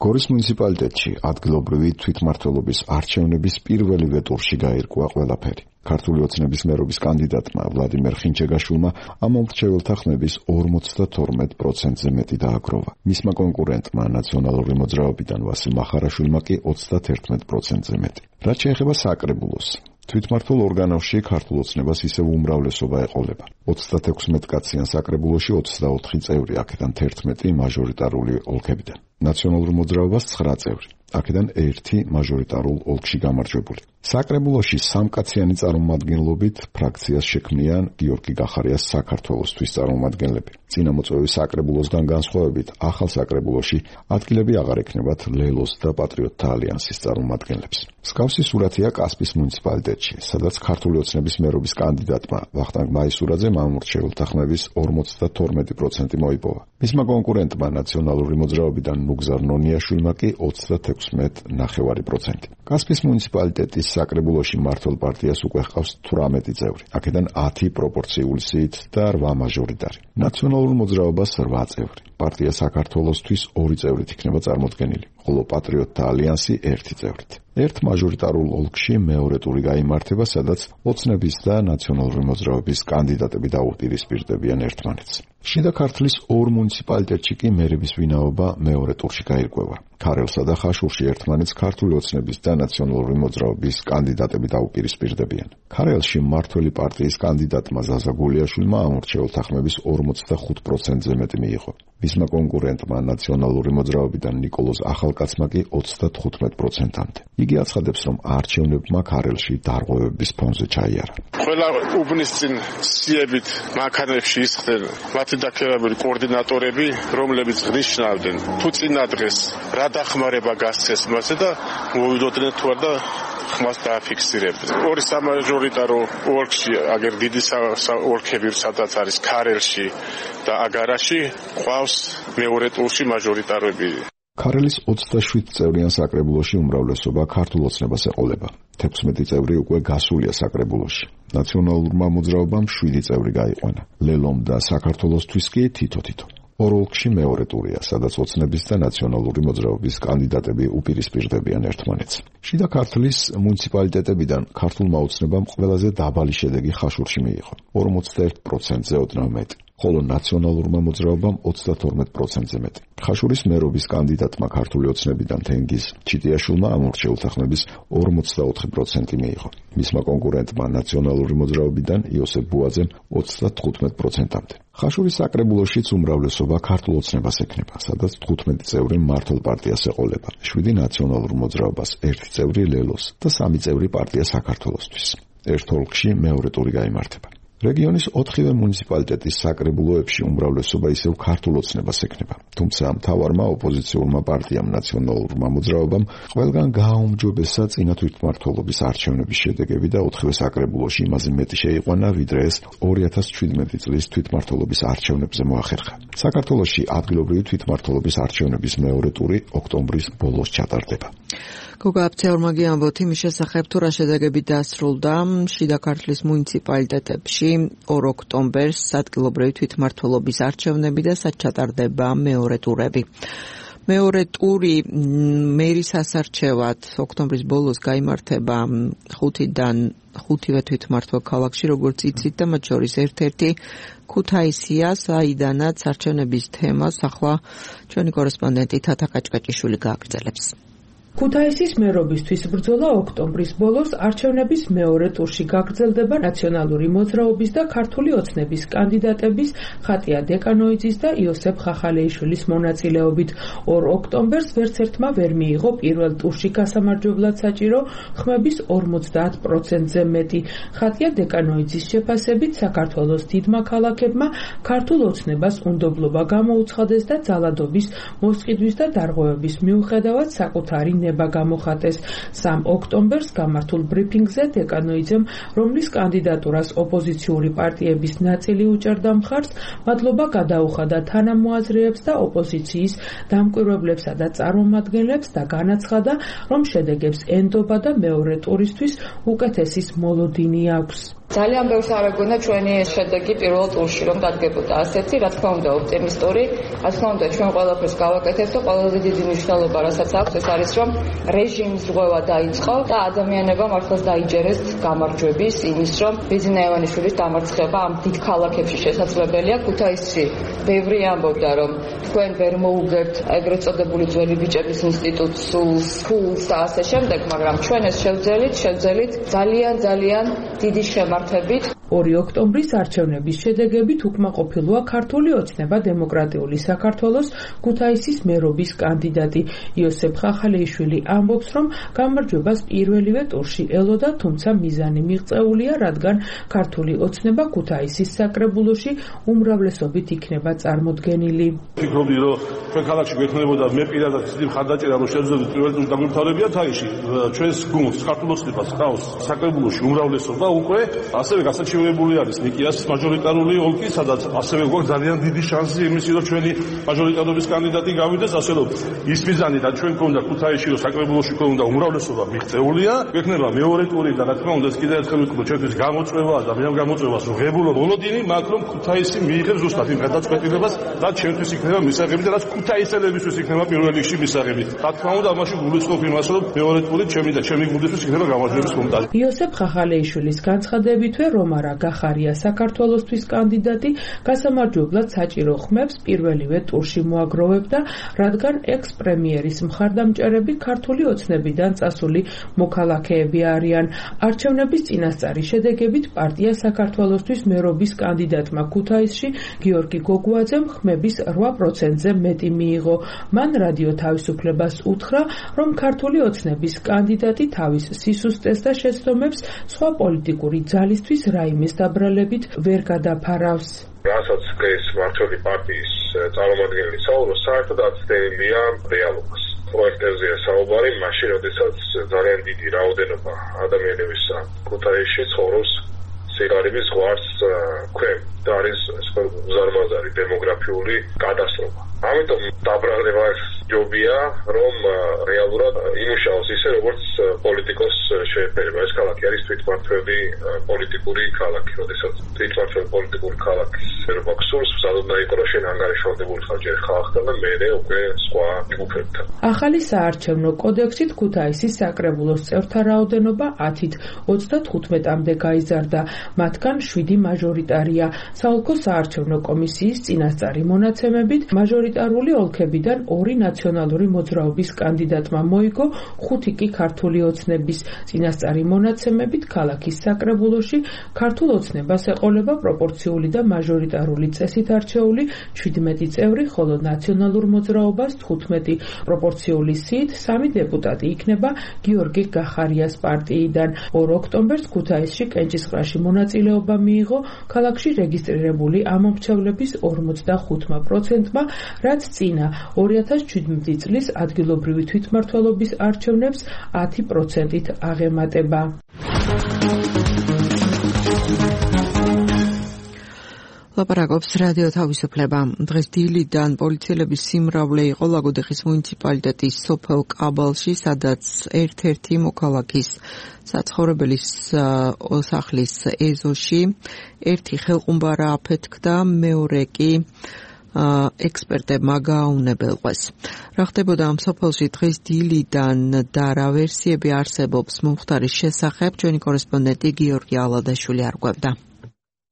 გორის მუნიციპალიტეტში ადგილობრივი თვითმმართველობის არჩევნების პირველივე ტურში გაირკვა ყველაფერი. ქართული ოცნების მერობის კანდიდატმა ვლადიმერ ხინჩეგაშვილმა ამ მომრჩეველთა ხმების ორმოცდათორმეტ პროცენტზე მეტი დააგროვა. მისმა კონკურენტმა ნაციონალური მოძრაობიდან ვასილ მახარაშვილმა კი ოცდაათერთმეტ პროცენტზე მეტი. რაც შეეხება საკრებულოს, თვითმმართველ ორგანოში ქართულ ოცნებას ისევ უმრავლესობა ეყოლება. ოცდათექვსმეტ კაციან საკრებულოში ოცდაოთხი წევრი, აქედან თერთმეტი მაჟორიტარული ოლქებიდან. ნაციონალურ მოძრაობას ცხრა წევრი, აქედან ერთი მაჟორიტარულ ოლქში გამარჯვებული. საკრებულოში სამკაციანი წარმომადგენლობით ფრაქციას შექმნიან გიორგი გახარიას საქართველოსთვის წარმომადგენლები. წინამოწვევის საკრებულოსგან განსხვავებით, ახალ საკრებულოში ადგილები აღარ ექნებათ ლელოს და პატრიოტთა ალიანსის წარმომადგენლებს. მსგავსი სურათია კასპის მუნიციპალიტეტში, სადაც ქართული ოცნების მერობის კანდიდატმა ვახტანგ მაისურაძემ ამორჩეულთა ხმების ორმოცდათორმეტი პროცენტი მოიპოვა. მისმა კონკურენტმა ნაციონალური მოძრაობიდან ნუგზარ ნონიაშვილმა კი ოცდათექვსმეტ ნახევარი პროცენტი. კასპის მუნიციპალიტეტის საკრებულოში მართლ პარტიას უკვე ჰყავს თვრამეტი წევრი, აქედან ათი პროპორციული სიით და რვა მაჟორიტარი. ნაციონალურ მოძრაობას რვა წევრი. პარტია საქართველოსთვის ორი წევრით იქნება წარმოდგენილი, ხოლო პატრიოტთა ალიანსი ერთი წევრით. ერთ მაჟორიტარულ ოლქში მეორე ტური გაიმართება, სადაც ოცნების და ნაციონალური მოძრაობის კანდიდატები დაუპირისპირდებიან ერთმანეთს. შიდა ქართლის ორ მუნიციპალიტეტში კი მერების ვინაობა მეორე ტურში გაირკვევა. ქარელსა და ხაშურში ერთმანეთს ქართული ოცნების და ნაციონალური მოძრაობის კანდიდატები დაუპირისპირდებიან. ქარელში მმართველი პარტიის კანდიდატმა ზაზა გულიაშვილმა ამორჩეულთა ხმების ორმოცდახუთ პროცენტზე მეტი მიიღო. მისმა კონკურენტმა ნაციონალური მოძრაობიდან ნიკოლოზ ახალკაცმა კი ოცდათხუთმეტ პროცენტამდე. იგი აცხადებს, რომ არჩევნებმა ქარელში დარღვევების ფონზე ჩაიარა. ყველა უბნის წინ სიებით მანქანებში ისხდნენ მათი დაქირავებული კოორდინატორები, რომლებიც ნიშნავდნენ თუ წინა დღეს რა დახმარება გასცეს მასე და მოვიდოდნენ თუ არა და ხმას დააფიქსირებდნენ. ორი სამაჟორიტარო ოლქში, აგერ დიდი ოლქები, სადაც არის ქარელში და აგარაში, ყავს მეორე ტურში მაჟორიტარები. ქარელის ოცდაშვიდ წევრიან საკრებულოში უმრავლესობა ქართულ ოცნებას ეყოლება. თექვსმეტი წევრი უკვე გასულია საკრებულოში. ნაციონალურმა მოძრაობამ შვიდი წევრი გაიყვანა. ლელომ და საქართველოსთვის კი თითო-თითო. ორ ოლქში მეორე ტურია, სადაც ოცნების და ნაციონალური მოძრაობის კანდიდატები უპირისპირდებიან ერთმანეთს. შიდა ქართლის მუნიციპალიტეტებიდან ქართულმა ოცნებამ ყველაზე დაბალი შედეგი ხაშურში მიიღო, ორმოცდაერთ პროცენტზე ოდნავ მეტი. ხოლო ნაციონალურმა მოძრაობამ ოცდათორმეტ პროცენტზე მეტი. ხაშურის მერობის კანდიდატმა ქართული ოცნებიდან თენგიზ ჩიტიაშვილმა ამორჩეულთა ხმების ორმოცდაოთხი პროცენტი მიიღო. მისმა კონკურენტმა ნაციონალური მოძრაობიდან იოსებ ბუაძემ ოცდათხუთმეტ პროცენტამდე. ხაშურის საკრებულოშიც უმრავლესობა ქართულ ოცნებას ექნება, სადაც თხუთმეტი წევრი მართლ პარტიას ეყოლება, შვიდი ნაციონალურ მოძრაობას, ერთი წევრი ლელოს და სამი წევრი პარტია საქართველოსთვის. ერთ ოლქში მეორე ტური გაიმართება. რეგიონის ოთხივე მუნიციპალიტეტის საკრებულოებში უმრავლესობა ისევ ქართულ ოცნებას ექნება, თუმცა მთავარმა ოპოზიციურმა პარტიამ ნაციონალურმა მოძრაობამ ყველგან გააუმჯობესა წინა თვითმმართველობის არჩევნების შედეგები და ოთხივე საკრებულოში იმაზე მეტი შეიყვანა, ვიდრე ეს ორი ათას შვიდმეტი წლის თვითმმართველობის არჩევნებზე მოახერხა. საქართველოში ადგილობრივი თვითმმართველობის არჩევნების მეორე ტური ოქტომბრის ბოლოს ჩატარდება. გოგა აფციაურმა გიამბოთ იმის შესახებ, თუ რა შედეგები დასრულდა შიდა ქართლის მუნიციპალიტეტებში ორ ოქტომბერს ადგილობრივი თვითმმართველობის არჩევნები და სად ჩატარდება მეორე ტურები. მეორე ტური მერის ასარჩევად ოქტომბრის ბოლოს გაიმართება ხუთიდან ხუთივე თვითმმართველ ქალაქში, როგორც იცით, და მათ შორის ერთ-ერთი ქუთაისია, საიდანაც არჩევნების თემას ახლა ჩვენი კორესპონდენტი თათა კაჭკაჭიშვილი გააგრძელებს. ქუთაისის მერობისთვის ბრძოლა ოქტომბრის ბოლოს არჩევნების მეორე ტურში გაგრძელდება ნაციონალური მოძრაობის და ქართული ოცნების კანდიდატების ხატია დეკანოიძის და იოსებ ხახალეიშვილის მონაწილეობით. ორ ოქტომბერს ვერც ერთმა ვერ მიიღო პირველ ტურში გასამარჯვებლად საჭირო ხმების ორმოცდაათ პროცენტზე მეტი. ხატია დეკანოიძის შეფასებით საქართველოს დიდმა ქალაქებმა ქართულ ოცნებას უნდობლობა გამოუცხადეს და ძალადობის, მოსყიდვის და დარღვევების მიუხედავად საკუთარი დინება გამოხატეს. სამი ოქტომბერს გამართულ ბრიფინგზე დეკანოიძემ, რომლის კანდიდატურას ოპოზიციური პარტიების ნაწილი უჭერდა მხარს, მადლობა გადაუხადა თანამოაზრეებს და ოპოზიციის დამკვირვებლებსა და წარმომადგენლებს და განაცხადა, რომ შედეგებს ენდობა და მეორე ტურისთვის უკეთესის მოლოდინი აქვს. ძალიან ბევრს არ ეგონა ჩვენი შედეგი პირველ ტურში რომ დადგებოდა ასეთი, რა თქმა უნდა, ოპტიმისტური, რა თქმა უნდა, ჩვენ ყველაფერს გავაკეთებთ და ყველაზე დიდი მნიშვნელობა რასაც აქვს, ეს არის რომ რეჟიმის რღვევა დაიწყო და ადამიანებმა მართლაც დაიჯერეს გამარჯვების იმის, რომ ბიზნა ივანიშვილის დამარცხება ამ დიდ ქალაქებში შესაძლებელია. ქუთაისში ბევრი ამბობდა, რომ თქვენ ვერ მოუგებთ ეგრეთ წოდებული ძველი ბიჭების ინსტიტუტს, სულს, ფულს და ასე შემდეგ, მაგრამ ჩვენ ეს შევძელით, შევძელით ძალიან ძალიან დიდი შემართებით. ორი ოქტომბრის არჩევნების შედეგებით უკმაყოფილოა ქართული ოცნება დემოკრატიული საქართველოს ქუთაისის მერობის კანდიდატი იოსებ ხახალეიშვილი ამბობს, რომ გამარჯვებას პირველივე ტურში ელოდა, თუმცა მიზანი მიღწეულია, რადგან ქართული ოცნება ქუთაისის საკრებულოში უმრავლესობით იქნება წარმოდგენილი. ფიქრობდი, რომ ჩვენ ქალაქში გვექნებოდა მე პირადად ისეთი მხარდაჭერა, რომ შევძლებდით პირველ ტურში დაგვიმთავრებია თაიში. ჩვენს გუნდს ქართულ ოცნებას ყავს საკრებულოში უმრავლესობა უკვე ასევე გასაჩივრებული არის ნიკიას მაჟორიტარული ოლქი, სადაც ასევე გვაქვს ძალიან დიდი შანსი იმისი, რომ ჩვენი მაჟორიტარობის კანდიდატი გავიდეს, ასე რომ ის მიზანი და ჩვენ გვქონდა ქუთაისში, რომ საკრებულოში გვქონდა უმრავლესობა მიღწეულია, გვექნება მეორე ტური და რა თქმა უნდა ეს კიდევ ერთხელ ვიტყვი, ჩვენთვის გამოწვევაა და მე ამ გამოწვევას რომ ღებულო მოლოდინი მაქვს, რომ ქუთაისი მიიღებს ზუსტად იმ გადაწყვეტილებას, რაც ჩვენთვის იქნება მისაღები და რაც ქუთაისელებისთვის იქნება პირველ რიგში მისაღები. რა თქმა უნდა, ამაში გულისხმობ იმას, რომ მეორე ტური ჩემი და ჩემი გუნდისთვის იქნება გამარჯვების მომტანი. იოსებ ხახალეიშვილის განცხადებითვე რომარა გახარია საქართველოსთვის კანდიდატი გასამარჯვებლად საჭირო ხმებს პირველივე ტურში მოაგროვებდა, რადგან ექს-პრემიერის მხარდამჭერები ქართული ოცნებიდან წასული მოქალაქეები არიან. არჩევნების წინასწარი შედეგებით პარტია საქართველოსთვის მერობის კანდიდატმა ქუთაისში გიორგი გოგუაძემ ხმების რვა პროცენტზე მეტი მიიღო. მან რადიო თავისუფლებას უთხრა, რომ ქართული ოცნების კანდიდატი თავის სისუსტეს და შეცდომებს სხვა პოლიტიკური ძალისთვის რაიმეს დაბრალებით ვერ გადაფარავს. რასაც ეს მართლი პარტიის წარმომადგენელი საუბრობს, საერთოდ აცდენილია რეალობას. პროექტებზეა საუბარი, მაშინ როდესაც ძალიან დიდი რაოდენობა ადამიანების ქუთაისში ცხოვრობს სიგარების ზღვარს ქვემ და არის უზარმაზარი დემოგრაფიული კატასტროფა. ამიტომ დაბრალება ჯობია, რომ რეალურად იმუშაოს ისე, როგორც პოლიტიკოს შეეფერება. ეს ქალაქი არის თვითმმართველი პოლიტიკური ქალაქი, როდესაც თვითმმართველი პოლიტიკური ქალაქის ერობა გსურს, სადაც იყო რომ შენ ანგარიშვალდებული ხარ ჯერ ხალხთან და მერე უკვე სხვა ჯგუფებთან. ახალი საარჩევნო კოდექსით ქუთაისის საკრებულოს წევრთა რაოდენობა ათით ოცდათხუთმეტამდე გაიზარდა, მათგან შვიდი მაჟორიტარია. საოლქო საარჩევნო კომისიის წინასწარი მონაცემებით მაჟორიტარული ოლქებიდან ორი ნაციონალური მოძრაობის კანდიდატმა მოიგო, ხუთი კი ქართული ოცნების. წინასწარი მონაცემებით ქალაქის საკრებულოში ქართულ ოცნებას ეყოლება პროპორციული და მაჟორიტარული წესით არჩეული ჩვიდმეტი წევრი, ხოლო ნაციონალურ მოძრაობას თხუთმეტი. პროპორციული სიით სამი დეპუტატი იქნება გიორგი გახარიას პარტიიდან. ორ ოქტომბერს ქუთაისში კენჭისყრაში მონაწილეობა მიიღო ქალაქში რეგისტრირებული ამომრჩევლების ორმოცდახუთმა პროცენტმა, რაც წინა ორი ათას შვიდმეტი წლის ადგილობრივი თვითმმართველობის არჩევნებს ათი პროცენტით აღემატება. ლაპარაკობს რადიო თავისუფლება. დღეს დილიდან პოლიციელების სიმრავლე იყო ლაგოდეხის მუნიციპალიტეტის სოფელ კაბალში, სადაც ერთ-ერთი მოქალაქის საცხოვრებელის სახლის ეზოში ერთი ხელყუმბარა აფეთქდა, მეორე კი ექსპერტებმა გააუნებელყვეს. რა ხდებოდა ამ სოფელში დღეს დილიდან და რა ვერსიები არსებობს მომხდარის შესახებ, ჩვენი კორესპონდენტი გიორგი ალადაშვილი არკვევდა.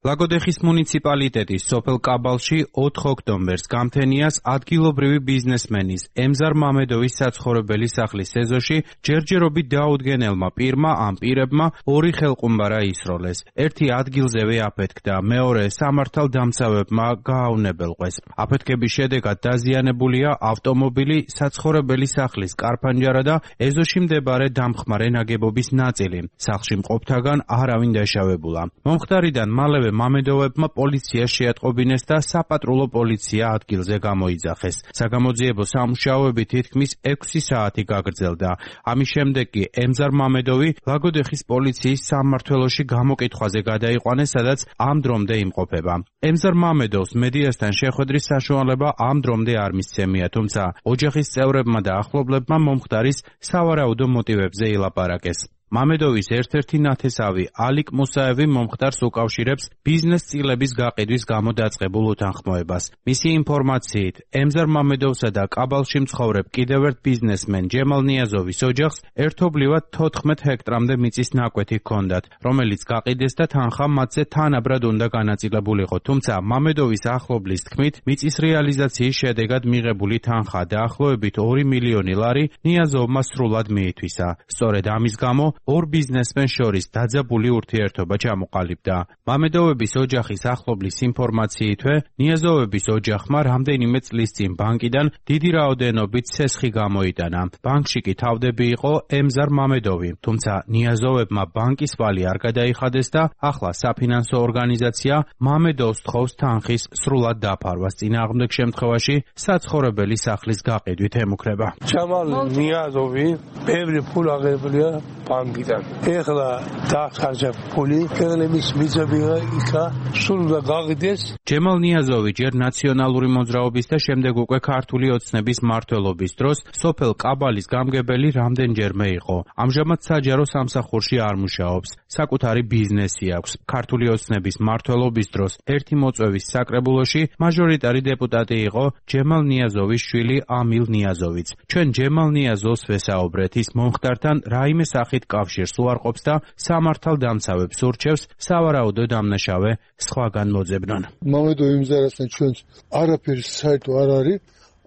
ლაგოდეხის მუნიციპალიტეტის სოფელ კაბალში ოთხ ოქტომბერს გამთენიას ადგილობრივი ბიზნესმენის ემზარ მამედოვის საცხოვრებელი სახლის ეზოში ჯერჯერობით დაუდგენელმა პირმა ამ პირებმა ორი ხელყუმბარა ისროლეს. ერთი ადგილზევე აფეთქდა, მეორე სამართალდამცავებმა გააუნებელყვეს. აფეთქების შედეგად დაზიანებულია ავტომობილი, საცხოვრებელი სახლის კარფანჯარა და ეზოში მდებარე დამხმარე ნაგებობის ნაწილი. სახლში მყოფთაგან არავინ დაშავებულა. მომხდარიდან მალევე მამედოვებმა პოლიციას შეატყობინეს და საპატრულო პოლიცია ადგილზე გამოიძახეს. საგამოძიებო სამუშაოები თითქმის ექვსი საათი გაგრძელდა. ამის შემდეგ კი ემზარ მამედოვი ლაგოდეხის პოლიციის სამმართველოში გამოკითხვაზე გადაიყვანეს, სადაც ამ დრომდე იმყოფება. ემზარ მამედოვს მედიასთან შეხვედრის საშუალება ამ დრომდე არ მისცემია, თუმცა ოჯახის წევრებმა და ახლობლებმა მომხდარის სავარაუდო მოტივებზე ილაპარაკეს. მამედოვის ერთ-ერთი ნათესავი ალიკ მუსაევი მომხდარს უკავშირებს ბიზნეს წილების გაყიდვის გამო დაწყებულ უთანხმოებას. მისი ინფორმაციით, ემზარ მამედოვსა და კაბალში მცხოვრებ კიდევ ერთ ბიზნესმენ ჯემალ ნიაზოვის ოჯახს ერთობლივად თოთხმეტ ჰექტრამდე მიწის ნაკვეთი ჰქონდათ, რომელიც გაყიდეს და თანხა მათზე თანაბრად უნდა განაწილებულიყო. თუმცა მამედოვის ახლობლის თქმით, მიწის რეალიზაციის შედეგად მიღებული თანხა დაახლოებით ორი მილიონი ლარი ნიაზოვმა სრულად მიითვისა. სწორედ ამის გამო ორ ბიზნესმენს შორის დაძაბული ურთიერთობა ჩამოყალიბდა. მამედოვების ოჯახის ახლობლის ინფორმაციითვე, ნიაზოვების ოჯახმა რამდენიმე წლის წინ ბანკიდან დიდი რაოდენობით ცესხი გამოიტანა. ბანკში კი თავდები იყო ემზარ მამედოვი, თუმცა ნიაზოვებმა ბანკის ვალი არ გადაიხადეს და ახლა საფინანსო ორგანიზაცია მამედოვს თხოვს თანხის სრულად დაფარვას. წინააღმდეგ შემთხვევაში საცხოვრებელი სახლის გაყიდვით ემუქრება. ჯამალ ნიაზოვი ბევრი ფულ აღებულია ბანკიდან. ეხლა დახარჯა ფული, ხელების მიწებია იქა, სულ და გაღიდეს. ჯემალ ნიაზოვი ჯერ ნაციონალური მოძრაობის და შემდეგ უკვე ქართული ოცნების მმართველობის დროს სოფელ კაბალის გამგებელი რამდენჯერმე იყო. ამჟამად საჯარო სამსახურში არ მუშაობს. საკუთარი ბიზნესი აქვს. ქართული ოცნების მმართველობის დროს ერთი მოწვევის საკრებულოში მაჟორიტარი დეპუტატი იყო ჯემალ ნიაზოვის შვილი ამილ ნიაზოვიც. ჩვენ ჯემალ ნიაზოვს ვესაუბრეთ, ის მომხდართან რაიმე სახით კავშირს უარყოფს და სამართალდამცავებს ურჩევს სავარაუდო დამნაშავე სხვაგან მოძებნონ. მამედოვი იმზარასთან ჩვენს არაფერი საერთო არ არის,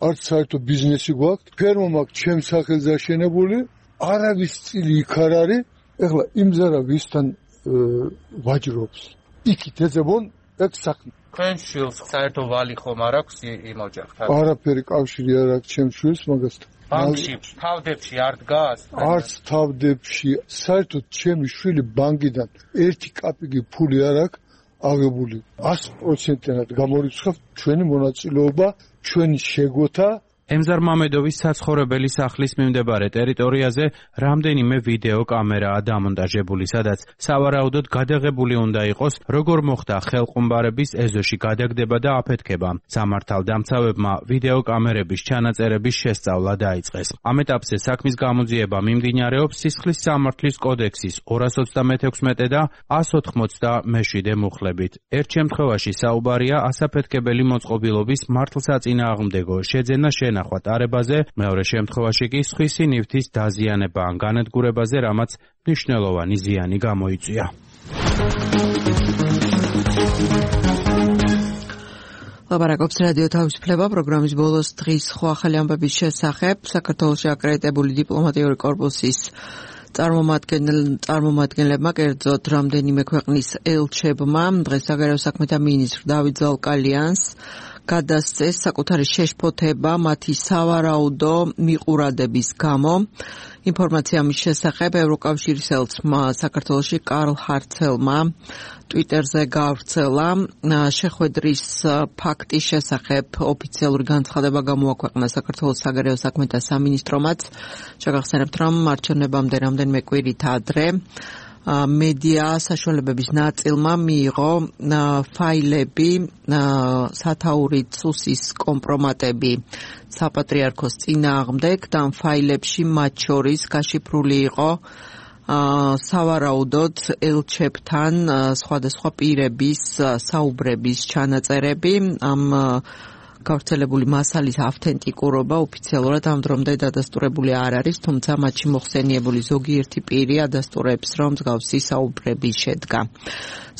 არც საერთო ბიზნესი გვაქვს. ფერმა მაქვს ჩემს სახელზე აშენებული, არავის წილი იქ არ არის. ეხლა იმზარა ვისთან ვაჯრობს. იქით ეძებონ ეგ საქმე. თქვენ შვილს საერთო ვალი ხომ არ აქვს იმ ოჯახთან? არაფერი კავშირი არ აქვს ჩემს შვილს მაგასთან. ბანკში, თავდებში არ დგას? არც თავდებში. საერთოდ ჩემი შვილი ბანკიდან ერთი კაპიკი ფული არ აქვს აღებული. ას პროცენტად გამორიცხავთ ჩვენი მონაწილეობა, ჩვენი შეგვოთა. ემზარ მამედოვის საცხოვრებელი სახლის მიმდებარე ტერიტორიაზე რამდენიმე ვიდეო კამერაა დამონტაჟებული, სადაც სავარაუდოდ გადაღებული უნდა იყოს, როგორ მოხდა ხელყუმბარების ეზოში გადაგდება და აფეთქება. სამართალდამცავებმა ვიდეო კამერების ჩანაწერების შესწავლა დაიწყეს. ამ ეტაპზე საქმის გამოძიება მიმდინარეობს სისხლის სამართლის კოდექსის ორას ოცდამექვსმეტე და ას ოთხმოცდამეშვიდე მუხლებით. ერთ შემთხვევაში საუბარია ასაფეთქებელი მოწყობილობის მართლსაწინააღმდეგო შეძენა ნახვა ტარებაზე, მეორე შემთხვევაში კი სხვისი ნივთის დაზიანება ან განადგურებაზე, რამაც მნიშვნელოვანი ზიანი გამოიწვია. ლაპარაკობს რადიო თავისუფლება პროგრამის ბოლოს დღის სხვა ახალი ამბების შესახებ. საქართველოში აკრედიტებული დიპლომატიური კორპუსის წარმომადგენლებმა, კერძოდ რამდენიმე ქვეყნის ელჩებმა დღეს საგარეო საქმეთა მინისტრ დავით ზალკალიანს გადასცეს საკუთარი შეშფოთება მათი სავარაუდო მიყურადების გამო. ინფორმაცია ამის შესახებ ევროკავშირის ელჩმა საქართველოში კარლ ჰარცელმა ტვიტერზე გაავრცელა. შეხვედრის ფაქტის შესახებ ოფიციალური განცხადება გამოაქვეყნა საქართველოს საგარეო საქმეთა სამინისტრომაც. შეგახსენებთ, რომ არჩევნებამდე რამდენიმე კვირით ადრე მედია საშუალებების ნაწილმა მიიღო ფაილები სათაურით სუსის კომპრომატები საპატრიარქოს წინააღმდეგ და ამ ფაილებში მათ შორის გაშიფრული იყო სავარაუდოდ ელჩებთან სხვადასხვა პირების საუბრების ჩანაწერები. ამ გავრცელებული მასალის ავთენტიკურობა ოფიციალურად ამ დრომდე დადასტურებული არ არის, თუმცა მათში მოხსენიებული ზოგიერთი პირი ადასტურებს, რომ მსგავსი საუბრები შედგა.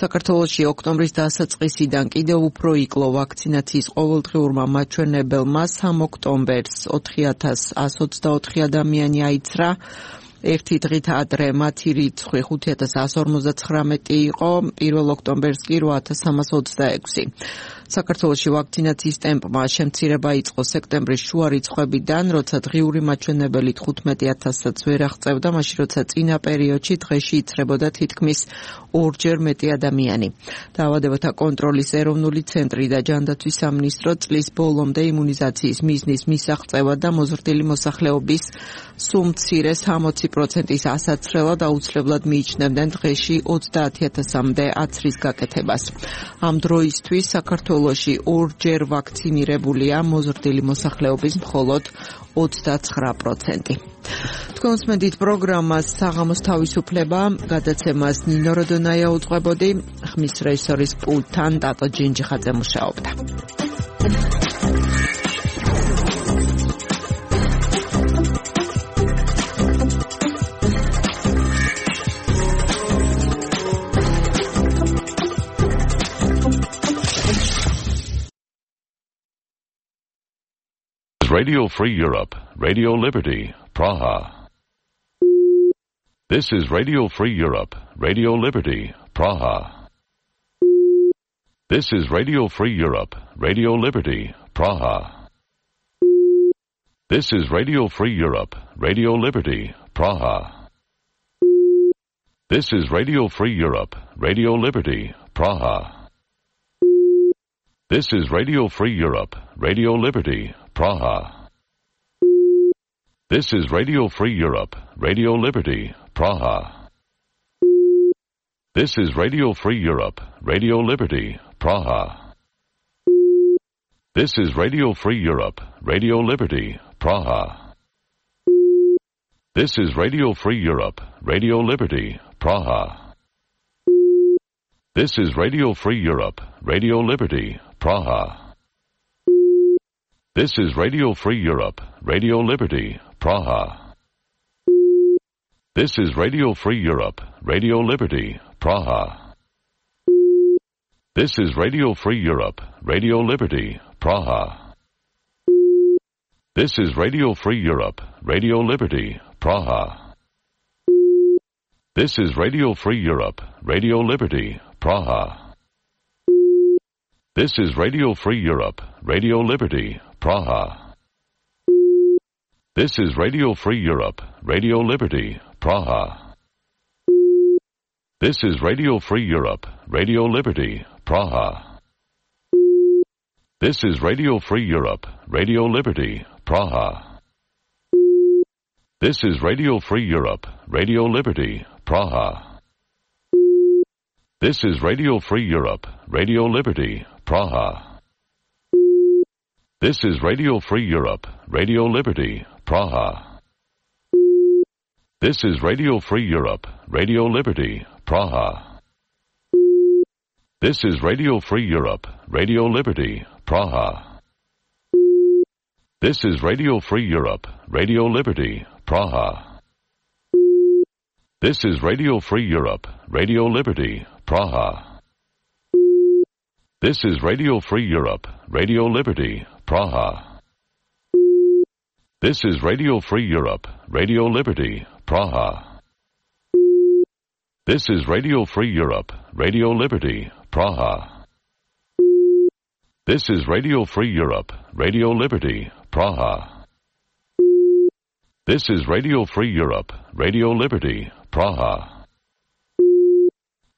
საქართველოში ოქტომბრის დასაწყისიდან კიდევ უფრო იკლო ვაქცინაციის ყოველდღიურმა მაჩვენებელმა. სამ ოქტომბერს ოთხი ათას ასი ოცდაოთხი ადამიანი აიცრა. ერთი დღით ადრე მათი რიცხვი ხუთი ათას ასი ორმოცდაცხრამეტი იყო, პირველ ოქტომბერს კი რვა ათას სამას ოცდაექვსი. საქართველოში ვაქცინაციის ტემპმა შემცირება იწყო სექტემბრის შუა რიცხვებიდან, როცა დღიური მაჩვენებელი თხუთმეტი ათასსაც ვერ აღწევდა, მაშინ როცა წინა პერიოდში დღეში იცრებოდა თითქმის ორჯერ მეტი ადამიანი. დაავადებათა კონტროლის ეროვნული ცენტრი და ჯანდაცვის სამინისტრო წლის ბოლომდე იმუნიზაციის მიზნის მისაღწევად და მოზრდილი მოსახლეობის სულ მცირეს ხუთი პროცენტის ასაცრელად აუცილებლად მიიჩნევდნენ დღეში ოცდაათი ათასამდე აცრის გაკეთებას. ამ დროისთვის საქართველოში ორჯერ ვაქცინირებულია მოზრდილი მოსახლეობის მხოლოდ ოცდაცხრა პროცენტი. თქვენ უსმენთ პროგრამას საღამოს თავისუფლება, გადაცემას ნინო როდონაია უძღვებოდი, ხმის რეჟისორის პულტთან ტატო ჯინჯიხაძე მუშაობდა. Radio Free Europe, Radio Liberty, Praha. This is Radio Free Europe, Radio Liberty, Praha. This is Radio Free Europe, Radio Liberty, Praha. This is Radio Free Europe, Radio Liberty, Praha. This is Radio Free Europe, Radio Liberty, Praha. This is Radio Free Europe, Radio Liberty, Praha. This is Radio Free Europe, Radio Liberty, Praha. This is Radio Free Europe, Radio Liberty, Praha. This is Radio Free Europe, Radio Liberty, Praha. This is Radio Free Europe, Radio Liberty, Praha. This is Radio Free Europe, Radio Liberty, Praha. This is Radio Free Europe, Radio Liberty, Praha. This is Radio Free Europe, Radio Liberty, Praha. This is Radio Free Europe, Radio Liberty, Praha. This is Radio Free Europe, Radio Liberty, Praha. This is Radio Free Europe, Radio Liberty, Praha. This is Radio Free Europe, Radio Liberty, Praha. This is Radio Free Europe, Radio Liberty, Praha. This is Radio Free Europe, Radio Liberty, Praha. This is Radio Free Europe, Radio Liberty, Praha. This is Radio Free Europe, Radio Liberty, Praha. This is Radio Free Europe, Radio Liberty, Praha. This is Radio Free Europe, Radio Liberty, Praha. This is Radio Free Europe, Radio Liberty, Praha. This is Radio Free Europe, Radio Liberty, Praha. This is Radio Free Europe, Radio Liberty, Praha. This is Radio Free Europe, Radio Liberty, Praha. This is Radio Free Europe, Radio Liberty, Praha. This is Radio Free Europe, Radio Liberty, Praha. This is Radio Free Europe, Radio Liberty, Praha. This is Radio Free Europe, Radio Liberty, Praha.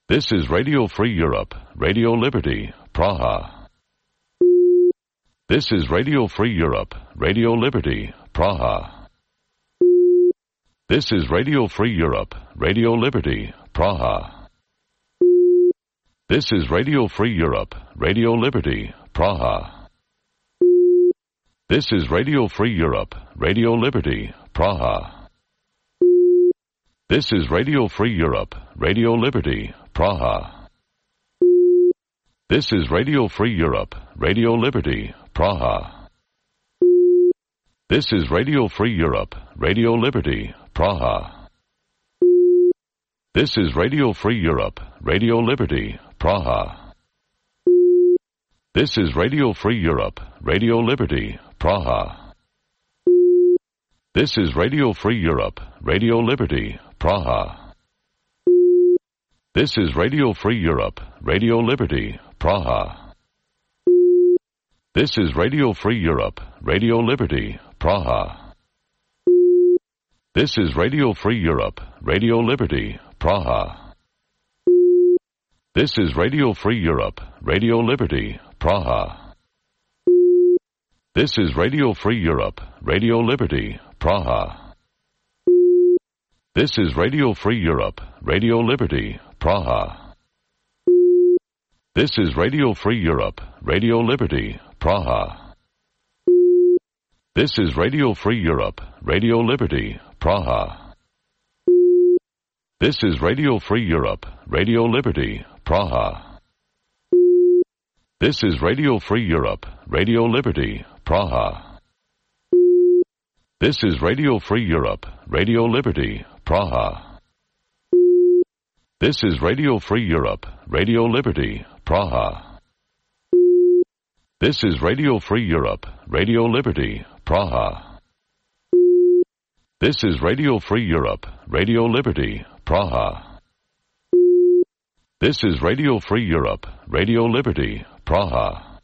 This is Radio Free Europe, Radio Liberty, Praha. This is Radio Free Europe, Radio Liberty, Praha. This is Radio Free Europe, Radio Liberty, Praha. This is Radio Free Europe, Radio Liberty, Praha. This is Radio Free Europe, Radio Liberty, Praha. This is Radio Free Europe, Radio Liberty, Praha. This is Radio Free Europe, Radio Liberty, Praha. This is Radio Free Europe, Radio Liberty, Praha. This is Radio Free Europe, Radio Liberty, Praha. This is Radio Free Europe, Radio Liberty, Praha. This is Radio Free Europe, Radio Liberty, Praha. This is Radio Free Europe, Radio Liberty, Praha. This is Radio Free Europe, Radio Liberty, Praha. This is Radio Free Europe, Radio Liberty, Praha. This is Radio Free Europe, Radio Liberty, Praha. This is Radio Free Europe, Radio Liberty, Praha. This is Radio Free Europe, Radio Liberty, Praha. This is Radio Free Europe, Radio Liberty, Praha. This is Radio Free Europe, Radio Liberty, Praha. This is Radio Free Europe, Radio Liberty, Praha. This is Radio Free Europe, Radio Liberty, Praha. This is Radio Free Europe, Radio Liberty, Praha. This is Radio Free Europe, Radio Liberty, Praha. This is Radio Free Europe, Radio Liberty, Praha. This is Radio Free Europe, Radio Liberty, Praha. This is Radio Free Europe, Radio Liberty, Praha. This is Radio Free Europe, Radio Liberty, Praha.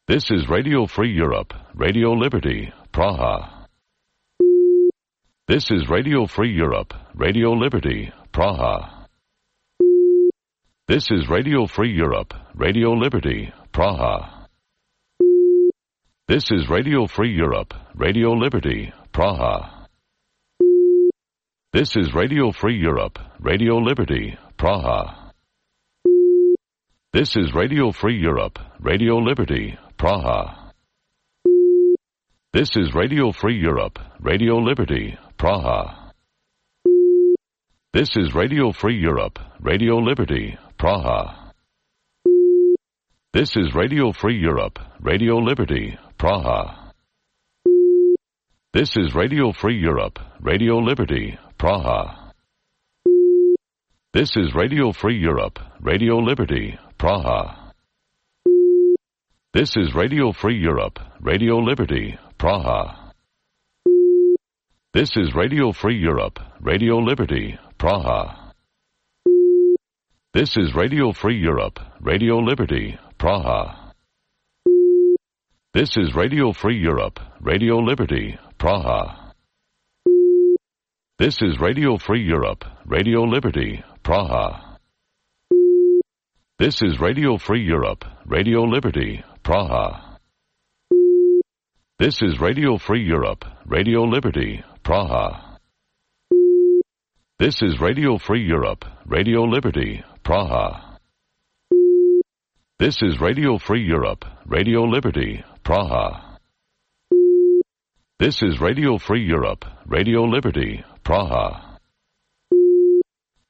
This is Radio Free Europe, Radio Liberty, Praha. This is Radio Free Europe, Radio Liberty, Praha. This is Radio Free Europe, Radio Liberty, Praha. This is Radio Free Europe, Radio Liberty, Praha. This is Radio Free Europe, Radio Liberty, Praha. This is Radio Free Europe, Radio Liberty, Praha. This is Radio Free Europe, Radio Liberty, Praha. This is Radio Free Europe, Radio Liberty, Praha. This is Radio Free Europe, Radio Liberty, Praha. This is Radio Free Europe, Radio Liberty, Praha. This is Radio Free Europe, Radio Liberty, Praha. This is Radio Free Europe, Radio Liberty, Praha. This is Radio Free Europe, Radio Liberty, Praha. This is Radio Free Europe, Radio Liberty, Praha. This is Radio Free Europe, Radio Liberty, Praha. This is Radio Free Europe, Radio Liberty, Praha. This is Radio Free Europe, Radio Liberty, Praha. This is Radio Free Europe, Radio Liberty, Praha. This is Radio Free Europe, Radio Liberty, Praha. This is Radio Free Europe, Radio Liberty, Praha. This is Radio Free Europe, Radio Liberty, Praha.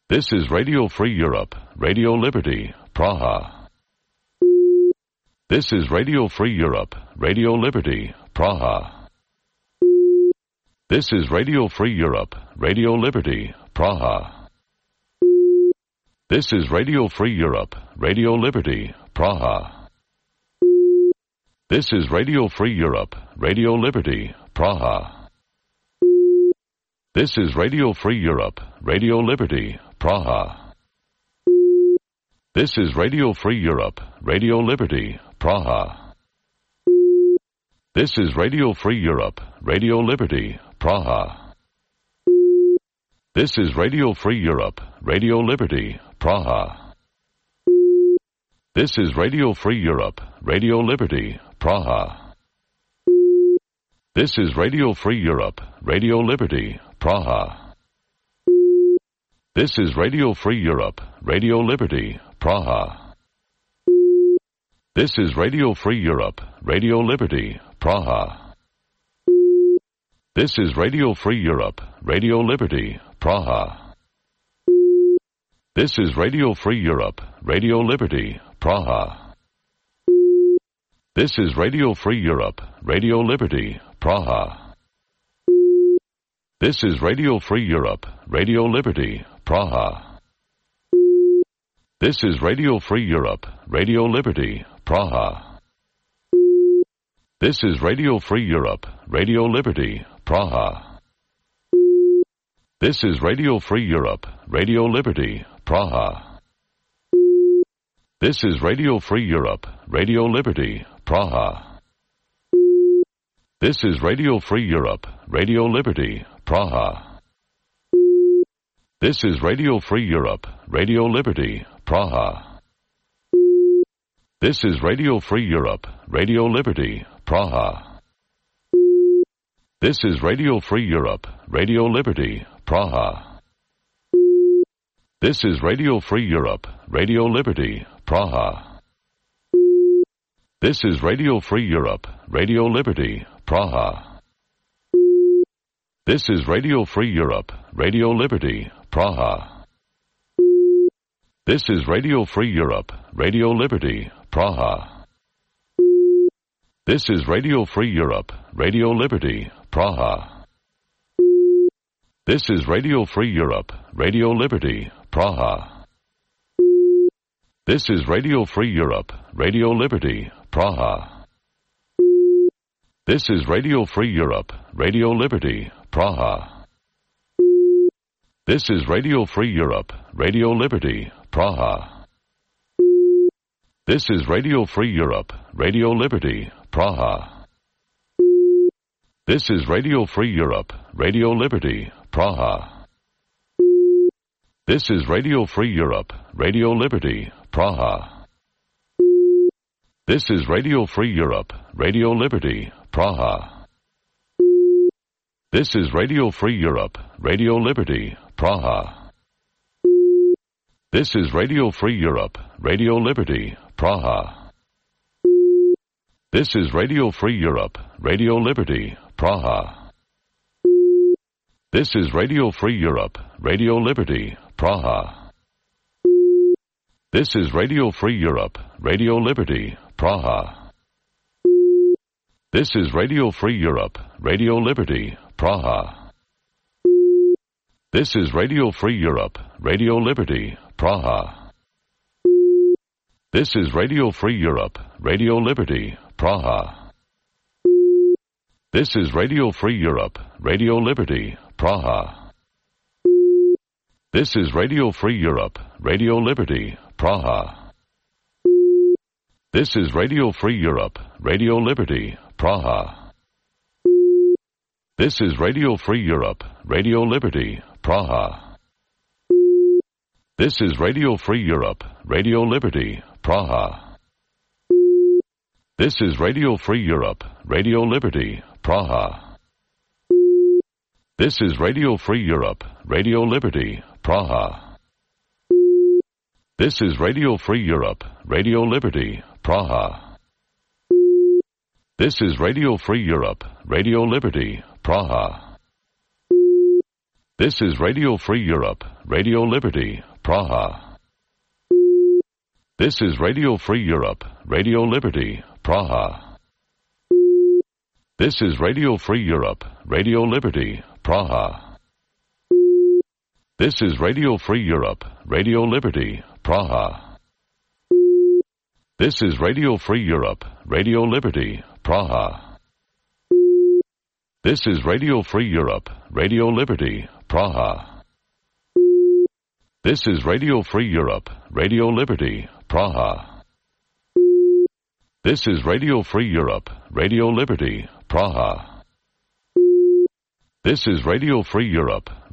This is Radio Free Europe, Radio Liberty, Praha. This is Radio Free Europe, Radio Liberty, Praha. This is Radio Free Europe, Radio Liberty, Praha. This is Radio Free Europe, Radio Liberty, Praha. This is Radio Free Europe, Radio Liberty, Praha. This is Radio Free Europe, Radio Liberty, Praha. This is Radio Free Europe, Radio Liberty, Praha. This is Radio Free Europe, Radio Liberty, Praha. This is Radio Free Europe, Radio Liberty, Praha. This is Radio Free Europe, Radio Liberty, Praha. This is Radio Free Europe, Radio Liberty, Praha. This is Radio Free Europe, Radio Liberty, Praha. This is Radio Free Europe, Radio Liberty, Praha. This is Radio Free Europe, Radio Liberty, Praha. This is Radio Free Europe, Radio Liberty, Praha. This is Radio Free Europe, Radio Liberty, Praha. This is Radio Free Europe, Radio Liberty, Praha. This is Radio Free Europe, Radio Liberty, Praha. This is Radio Free Europe, Radio Liberty, Praha. This is Radio Free Europe, Radio Liberty, Praha. This is Radio Free Europe, Radio Liberty, Praha. This is Radio Free Europe, Radio Liberty, Praha. This is Radio Free Europe, Radio Liberty, Praha. This is Radio Free Europe, Radio Liberty, Praha. This is Radio Free Europe, Radio Liberty, Praha. This is Radio Free Europe, Radio Liberty, Praha. This is Radio Free Europe, Radio Liberty, Praha. This is Radio Free Europe, Radio Liberty, Praha. This is Radio Free Europe, Radio Liberty, Praha. This is Radio Free Europe, Radio Liberty, Praha. This is Radio Free Europe, Radio Liberty, Praha. This is Radio Free Europe, Radio Liberty, Praha. This is Radio Free Europe, Radio Liberty, Praha. This is Radio Free Europe, Radio Liberty, Praha. This is Radio Free Europe, Radio Liberty, Praha. This is Radio Free Europe, Radio Liberty, Praha. This is Radio Free Europe, Radio Liberty, Praha. This is Radio Free Europe, Radio Liberty, Praha. This is Radio Free Europe, Radio Liberty, Praha. This is Radio Free Europe, Radio Liberty, Praha. This is Radio Free Europe, Radio Liberty, Praha. This is Radio Free Europe, Radio Liberty, Praha. This is Radio Free Europe, Radio Liberty, Praha. This is Radio Free Europe, Radio Liberty, Praha. This is Radio Free Europe, Radio Liberty, Praha. This is Radio Free Europe, Radio Liberty, Praha. This is Radio Free Europe, Radio Liberty, Praha. This is Radio Free Europe, Radio Liberty, Praha. This is Radio Free Europe, Radio Liberty, Praha. This is Radio Free Europe, Radio Liberty, Praha. This is Radio Free Europe, Radio Liberty, Praha. This is Radio Free Europe, Radio Liberty, Praha. This is Radio Free Europe, Radio Liberty, Praha. This is Radio Free Europe, Radio Liberty, Praha. This is Radio Free Europe, Radio Liberty, Praha. This is Radio Free Europe, Radio Liberty, Praha. This is Radio Free Europe, Radio Liberty, Praha. This is Radio Free Europe, Radio Liberty, Praha. This is Radio Free Europe, Radio Liberty, Praha. This is Radio Free Europe, Radio Liberty, Praha. This is Radio Free Europe, Radio Liberty, Praha. This is Radio Free Europe, Radio Liberty, Praha. This is Radio Free Europe, Radio Liberty, Praha. This is Radio Free Europe,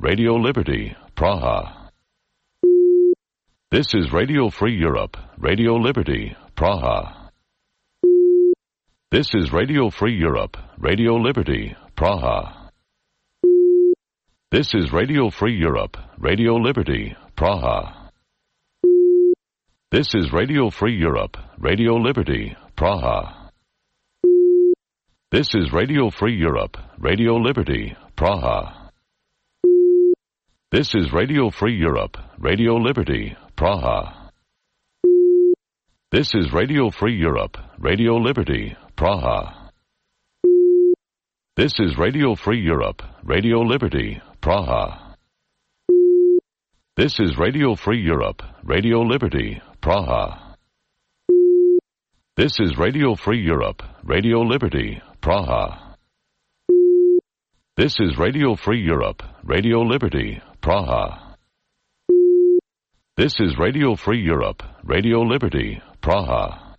Radio Liberty, Praha. This is Radio Free Europe, Radio Liberty, Praha. This is Radio Free Europe, Radio Liberty, Praha. This is Radio Free Europe, Radio Liberty, Praha. This is Radio Free Europe, Radio Liberty, Praha. This is Radio Free Europe, Radio Liberty, Praha. This is Radio Free Europe, Radio Liberty, Praha. This is Radio Free Europe, Radio Liberty, Praha. This is Radio Free Europe, Radio Liberty, Praha. This is Radio Free Europe, Radio Liberty, Praha. This is Radio Free Europe, Radio Liberty, Praha. This is Radio Free Europe, Radio Liberty, Praha. This is Radio Free Europe, Radio Liberty, Praha.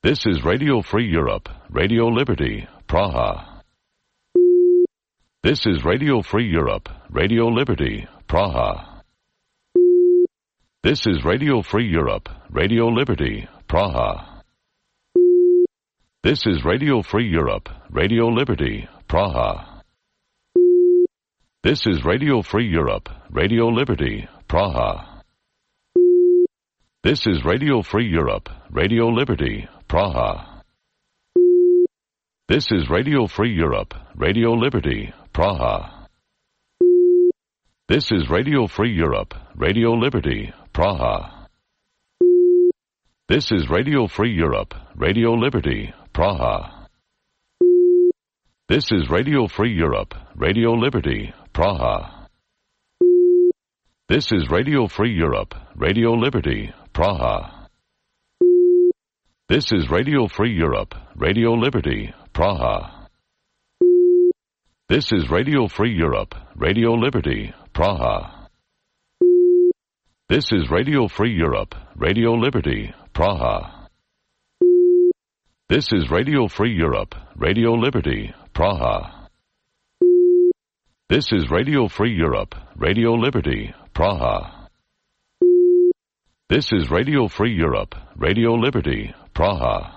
This is Radio Free Europe, Radio Liberty, Praha. This is Radio Free Europe, Radio Liberty, Praha. This is Radio Free Europe, Radio Liberty, Praha. This is Radio Free Europe, Radio Liberty, Praha. This is Radio Free Europe, Radio Liberty, Praha. This is Radio Free Europe, Radio Liberty, Praha. This is Radio Free Europe, Radio Liberty, Praha. This is Radio Free Europe, Radio Liberty, Praha. This is Radio Free Europe, Radio Liberty, Praha. This is Radio Free Europe, Radio Liberty, Praha. This is Radio Free Europe, Radio Liberty, Praha. This is Radio Free Europe, Radio Liberty, Praha. This is Radio Free Europe, Radio Liberty, Praha. This is Radio Free Europe, Radio Liberty, Praha. This is Radio Free Europe, Radio Liberty, Praha. This is Radio Free Europe, Radio Liberty, Praha. This is Radio Free Europe, Radio Liberty, Praha.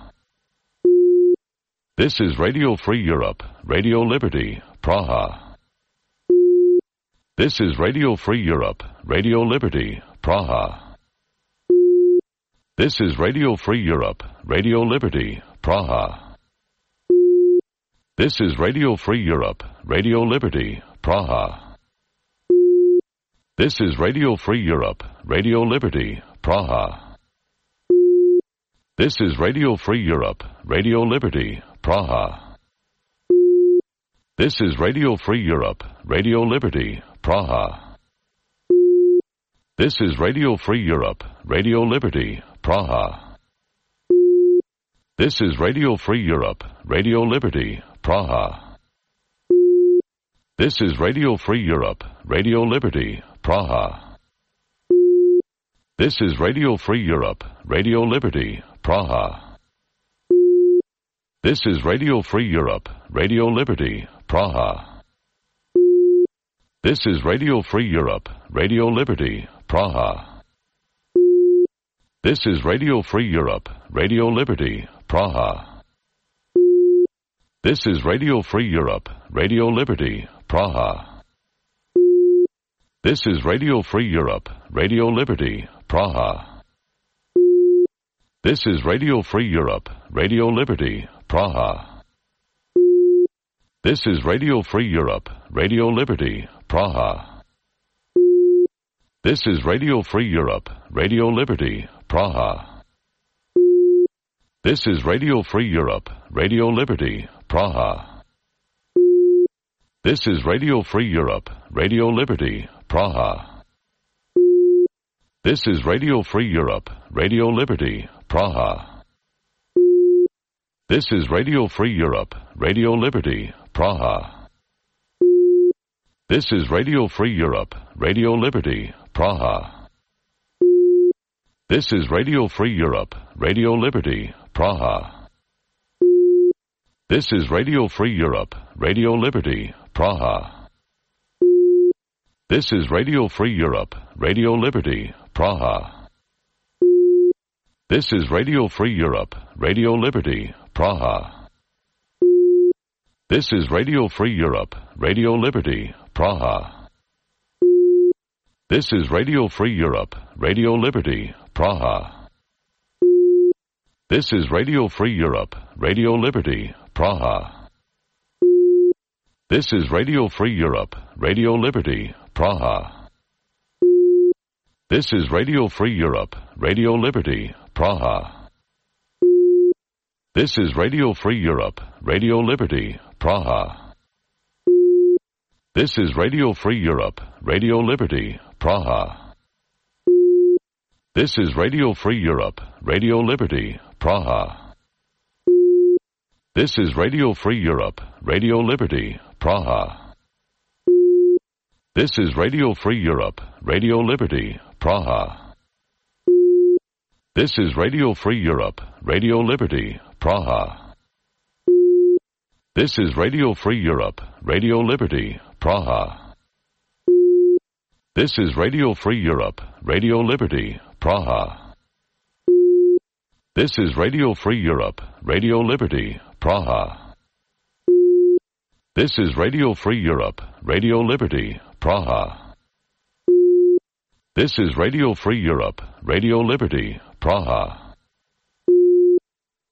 This is Radio Free Europe, Radio Liberty, Praha. This is Radio Free Europe, Radio Liberty, Praha. This is Radio Free Europe, Radio Liberty, Praha. This is Radio Free Europe, Radio Liberty, Praha. This is Radio Free Europe, Radio Liberty, Praha. This is Radio Free Europe, Radio Liberty, Praha. This is Radio Free Europe, Radio Liberty, Praha. This is Radio Free Europe, Radio Liberty, Praha. This is Radio Free Europe, Radio Liberty, Praha. This is Radio Free Europe, Radio Liberty, Praha. This is Radio Free Europe, Radio Liberty, Praha. This is Radio Free Europe, Radio Liberty, Praha. This is Radio Free Europe, Radio Liberty, Praha. This is Radio Free Europe, Radio Liberty, Praha. This is Radio Free Europe, Radio Liberty, Praha. This is Radio Free Europe, Radio Liberty, Praha. This is Radio Free Europe, Radio Liberty, Praha. This is Radio Free Europe, Radio Liberty, Praha. This is Radio Free Europe, Radio Liberty, Praha. This is Radio Free Europe, Radio Liberty, Praha. This is Radio Free Europe, Radio Liberty, Praha. This is Radio Free Europe, Radio Liberty, Praha. This is Radio Free Europe, Radio Liberty, Praha. This is Radio Free Europe, Radio Liberty, Praha. This is Radio Free Europe, Radio Liberty, Praha. This is Radio Free Europe, Radio Liberty, Praha. This is Radio Free Europe, Radio Liberty, Praha. This is Radio Free Europe, Radio Liberty, Praha. This is Radio Free Europe, Radio Liberty, Praha. This is Radio Free Europe, Radio Liberty, Praha. This is Radio Free Europe, Radio Liberty, Praha. This is Radio Free Europe, Radio Liberty, Praha. This is Radio Free Europe, Radio Liberty, Praha. This is Radio Free Europe, Radio Liberty, Praha. This is Radio Free Europe, Radio Liberty, Praha. This is Radio Free Europe, Radio Liberty, Praha. This is Radio Free Europe, Radio Liberty, Praha. This is Radio Free Europe, Radio Liberty, Praha. This is Radio Free Europe, Radio Liberty, Praha. This is Radio Free Europe, Radio Liberty, Praha. This is Radio Free Europe, Radio Liberty, Praha. This is Radio Free Europe, Radio Liberty, Praha. This is Radio Free Europe, Radio Liberty, Praha. This is Radio Free Europe, Radio Liberty, Praha.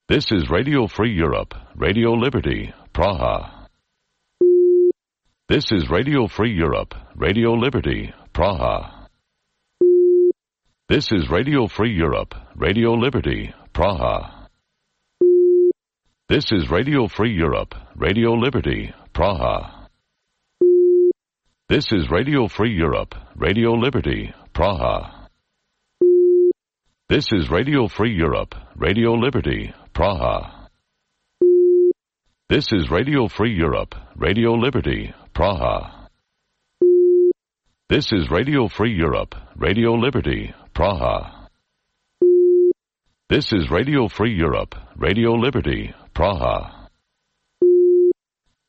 This is Radio Free Europe, Radio Liberty, Praha. This is Radio Free Europe, Radio Liberty, Praha. This is Radio Free Europe, Radio Liberty, Praha. This is Radio Free Europe, Radio Liberty, Praha. This is Radio Free Europe, Radio Liberty, Praha. This is Radio Free Europe, Radio Liberty, Praha. This is Radio Free Europe, Radio Liberty, Praha. This is Radio Free Europe, Radio Liberty, Praha. This is Radio Free Europe, Radio Liberty, Praha.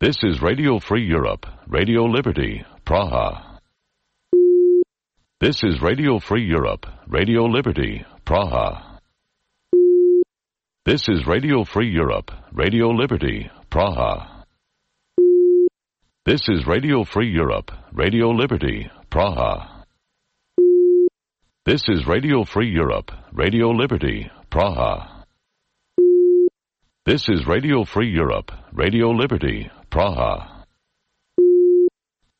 This is Radio Free Europe, Radio Liberty, Praha. This is Radio Free Europe, Radio Liberty, Praha. This is Radio Free Europe, Radio Liberty, Praha. This is Radio Free Europe, Radio Liberty, Praha. This is Radio Free Europe, Radio Liberty, Praha. This is Radio Free Europe, Radio Liberty, Praha.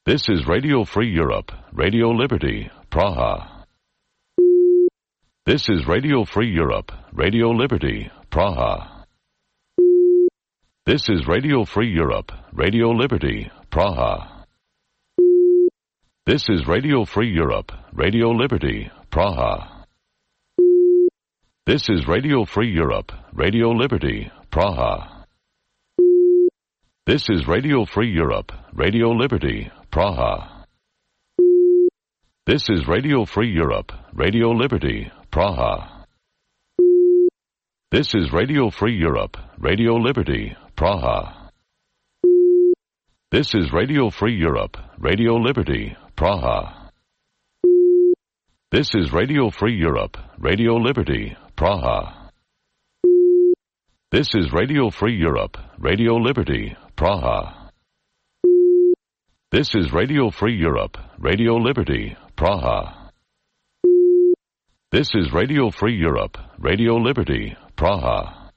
This is Radio Free Europe, Radio Liberty, Praha. This is Radio Free Europe, Radio Liberty, Praha. This is Radio Free Europe, Radio Liberty, Praha. This is Radio Free Europe, Radio Liberty, Praha. This is Radio Free Europe, Radio Liberty, Praha. This is Radio Free Europe, Radio Liberty, Praha. This is Radio Free Europe, Radio Liberty, Praha. This is Radio Free Europe, Radio Liberty, Praha. This is Radio Free Europe, Radio Liberty, Praha. This is Radio Free Europe, Radio Liberty, Praha. This is Radio Free Europe, Radio Liberty, Praha. This is Radio Free Europe, Radio Liberty, Praha. This is Radio Free Europe, Radio Liberty, Praha.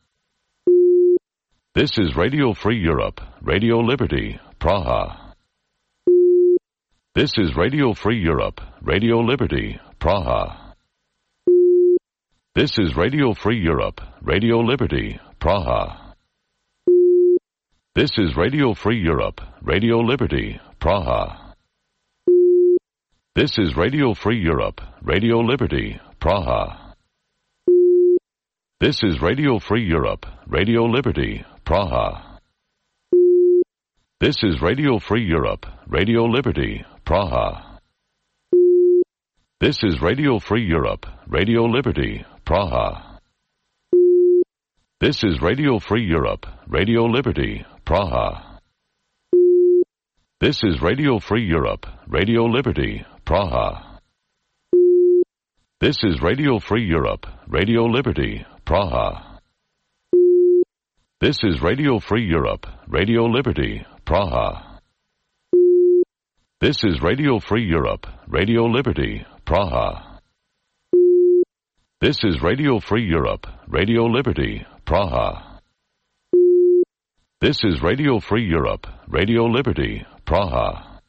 This is Radio Free Europe, Radio Liberty, Praha. This is Radio Free Europe, Radio Liberty, Praha. This is Radio Free Europe, Radio Liberty, Praha. This is Radio Free Europe, Radio Liberty, Praha. This is Radio Free Europe, Radio Liberty, Praha. This is Radio Free Europe, Radio Liberty, Praha. This is Radio Free Europe, Radio Liberty, Praha. This is Radio Free Europe, Radio Liberty, Praha. This is Radio Free Europe, Radio Liberty, Praha. This is Radio Free Europe, Radio Liberty, Praha. This is Radio Free Europe, Radio Liberty, Praha. This is Radio Free Europe, Radio Liberty, Praha. This is Radio Free Europe, Radio Liberty, Praha. This is Radio Free Europe, Radio Liberty, Praha. This is Radio Free Europe, Radio Liberty, Praha.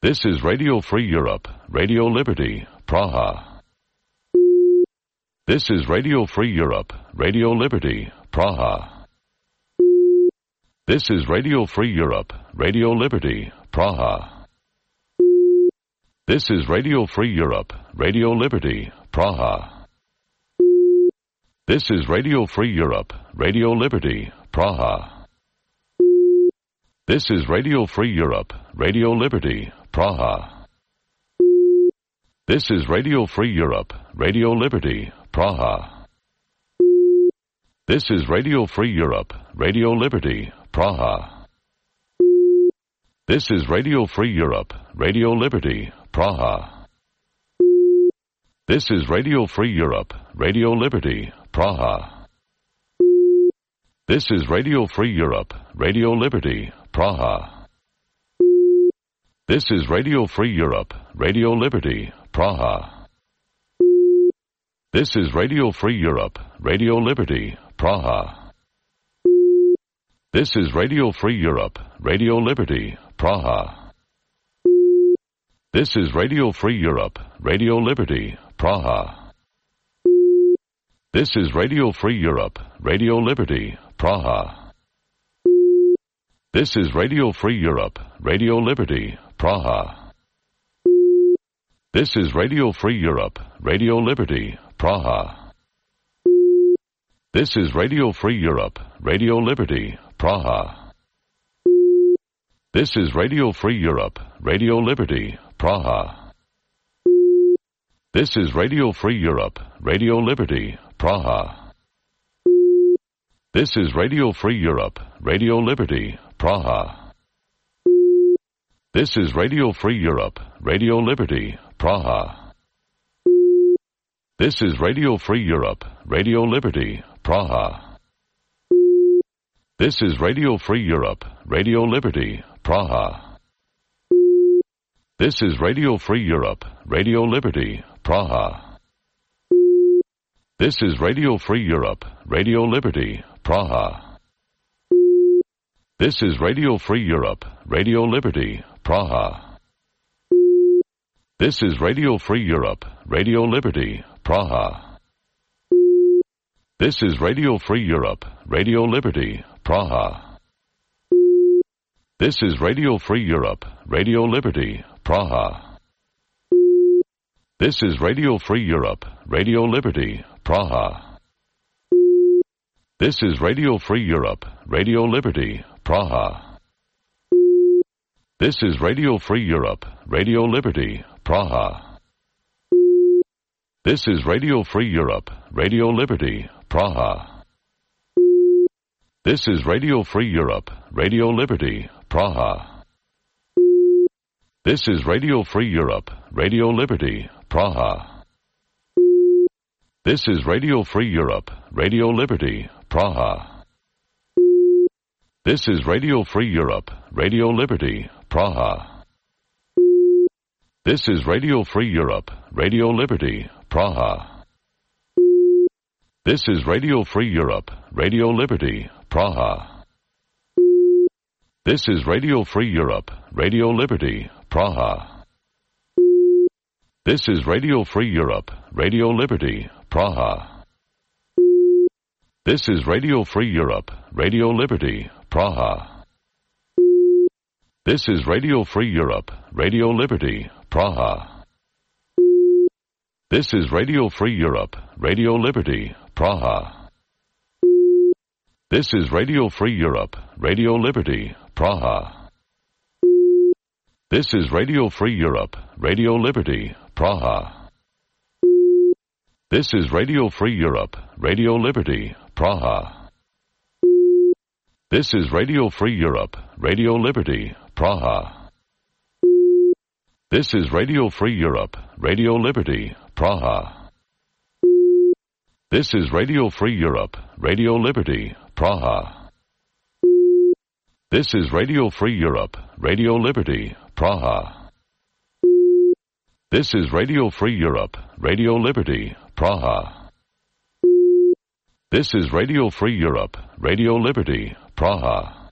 This is Radio Free Europe, Radio Liberty, Praha. This is Radio Free Europe, Radio Liberty, Praha. This is Radio Free Europe, Radio Liberty, Praha. This is Radio Free Europe, Radio Liberty, Praha. This is Radio Free Europe, Radio Liberty, Praha. This is Radio Free Europe, Radio Liberty, Praha. This is Radio Free Europe, Radio Liberty, Praha. This is Radio Free Europe, Radio Liberty, Praha. This is Radio Free Europe, Radio Liberty, Praha. This is Radio Free Europe, Radio Liberty, Praha. This is Radio Free Europe, Radio Liberty, Praha. This is Radio Free Europe, Radio Liberty, Praha. This is Radio Free Europe, Radio Liberty, Praha. This is Radio Free Europe, Radio Liberty, Praha. This is Radio Free Europe, Radio Liberty, Praha. This is Radio Free Europe, Radio Liberty, Praha. This is Radio Free Europe, Radio Liberty, Praha. This is Radio Free Europe, Radio Liberty, Praha. This is Radio Free Europe, Radio Liberty, Praha. This is Radio Free Europe, Radio Liberty, Praha. This is Radio Free Europe, Radio Liberty, Praha. This is Radio Free Europe, Radio Liberty, Praha. This is Radio Free Europe, Radio Liberty, Praha. This is Radio Free Europe, Radio Liberty, Praha. This is Radio Free Europe, Radio Liberty, Praha. This is Radio Free Europe, Radio Liberty, Praha. This is Radio Free Europe, Radio Liberty, Praha. This is Radio Free Europe, Radio Liberty, Praha. This is Radio Free Europe, Radio Liberty, Praha. This is Radio Free Europe, Radio Liberty, Praha. This is Radio Free Europe, Radio Liberty, Praha. This is Radio Free Europe, Radio Liberty, Praha. This is Radio Free Europe, Radio Liberty, Praha. This is Radio Free Europe, Radio Liberty, Praha. This is Radio Free Europe, Radio Liberty, Praha. This is Radio Free Europe, Radio Liberty, Praha. This is Radio Free Europe, Radio Liberty, Praha. This is Radio Free Europe, Radio Liberty, Praha. This is Radio Free Europe, Radio Liberty, Praha. This is Radio Free Europe, Radio Liberty, Praha. This is Radio Free Europe, Radio Liberty, Praha. This is Radio Free Europe, Radio Liberty, Praha. This is Radio Free Europe, Radio Liberty, Praha. This is Radio Free Europe, Radio Liberty, Praha. This is Radio Free Europe, Radio Liberty, Praha. This is Radio Free Europe, Radio Liberty, Praha. This is Radio Free Europe, Radio Liberty, Praha. This is Radio Free Europe, Radio Liberty, Praha. This is Radio Free Europe, Radio Liberty, Praha. This is Radio Free Europe, Radio Liberty, Praha. This is Radio Free Europe, Radio Liberty, Praha. This is Radio Free Europe, Radio Liberty, Praha. This is Radio Free Europe, Radio Liberty, Praha. This is Radio Free Europe, Radio Liberty, Praha. This is Radio Free Europe, Radio Liberty, Praha.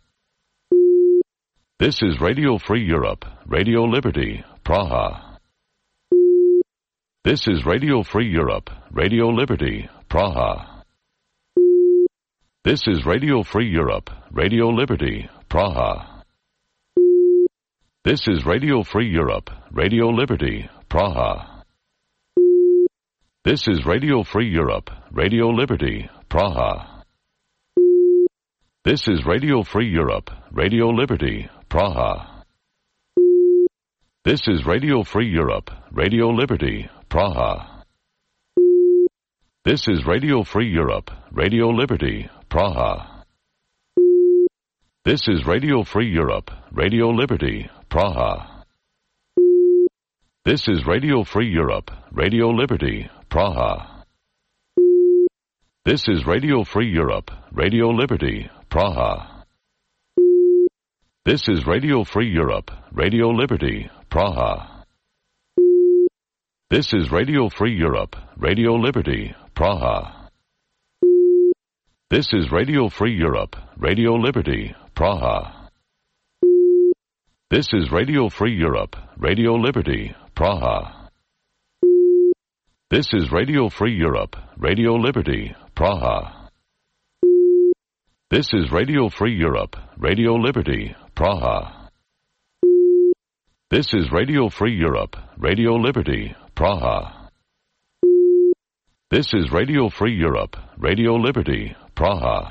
This is Radio Free Europe, Radio Liberty, Praha. This is Radio Free Europe, Radio Liberty, Praha. This is Radio Free Europe, Radio Liberty, Praha. This is Radio Free Europe, Radio Liberty, Praha. This is Radio Free Europe, Radio Liberty, Praha. This is Radio Free Europe, Radio Liberty, Praha. This is Radio Free Europe, Radio Liberty, Praha. This is Radio Free Europe, Radio Liberty, Praha. This is Radio Free Europe, Radio Liberty, Praha. This is Radio Free Europe, Radio Liberty, Praha. This is Radio Free Europe, Radio Liberty, Praha. This is Radio Free Europe, Radio Liberty, Praha. This is Radio Free Europe, Radio Liberty, Praha. This is Radio Free Europe, Radio Liberty, Praha. This is Radio Free Europe, Radio Liberty, Praha. This is Radio Free Europe, Radio Liberty, Praha. This is Radio Free Europe, Radio Liberty, Praha. This is Radio Free Europe, Radio Liberty, Praha. This is Radio Free Europe, Radio Liberty, Praha.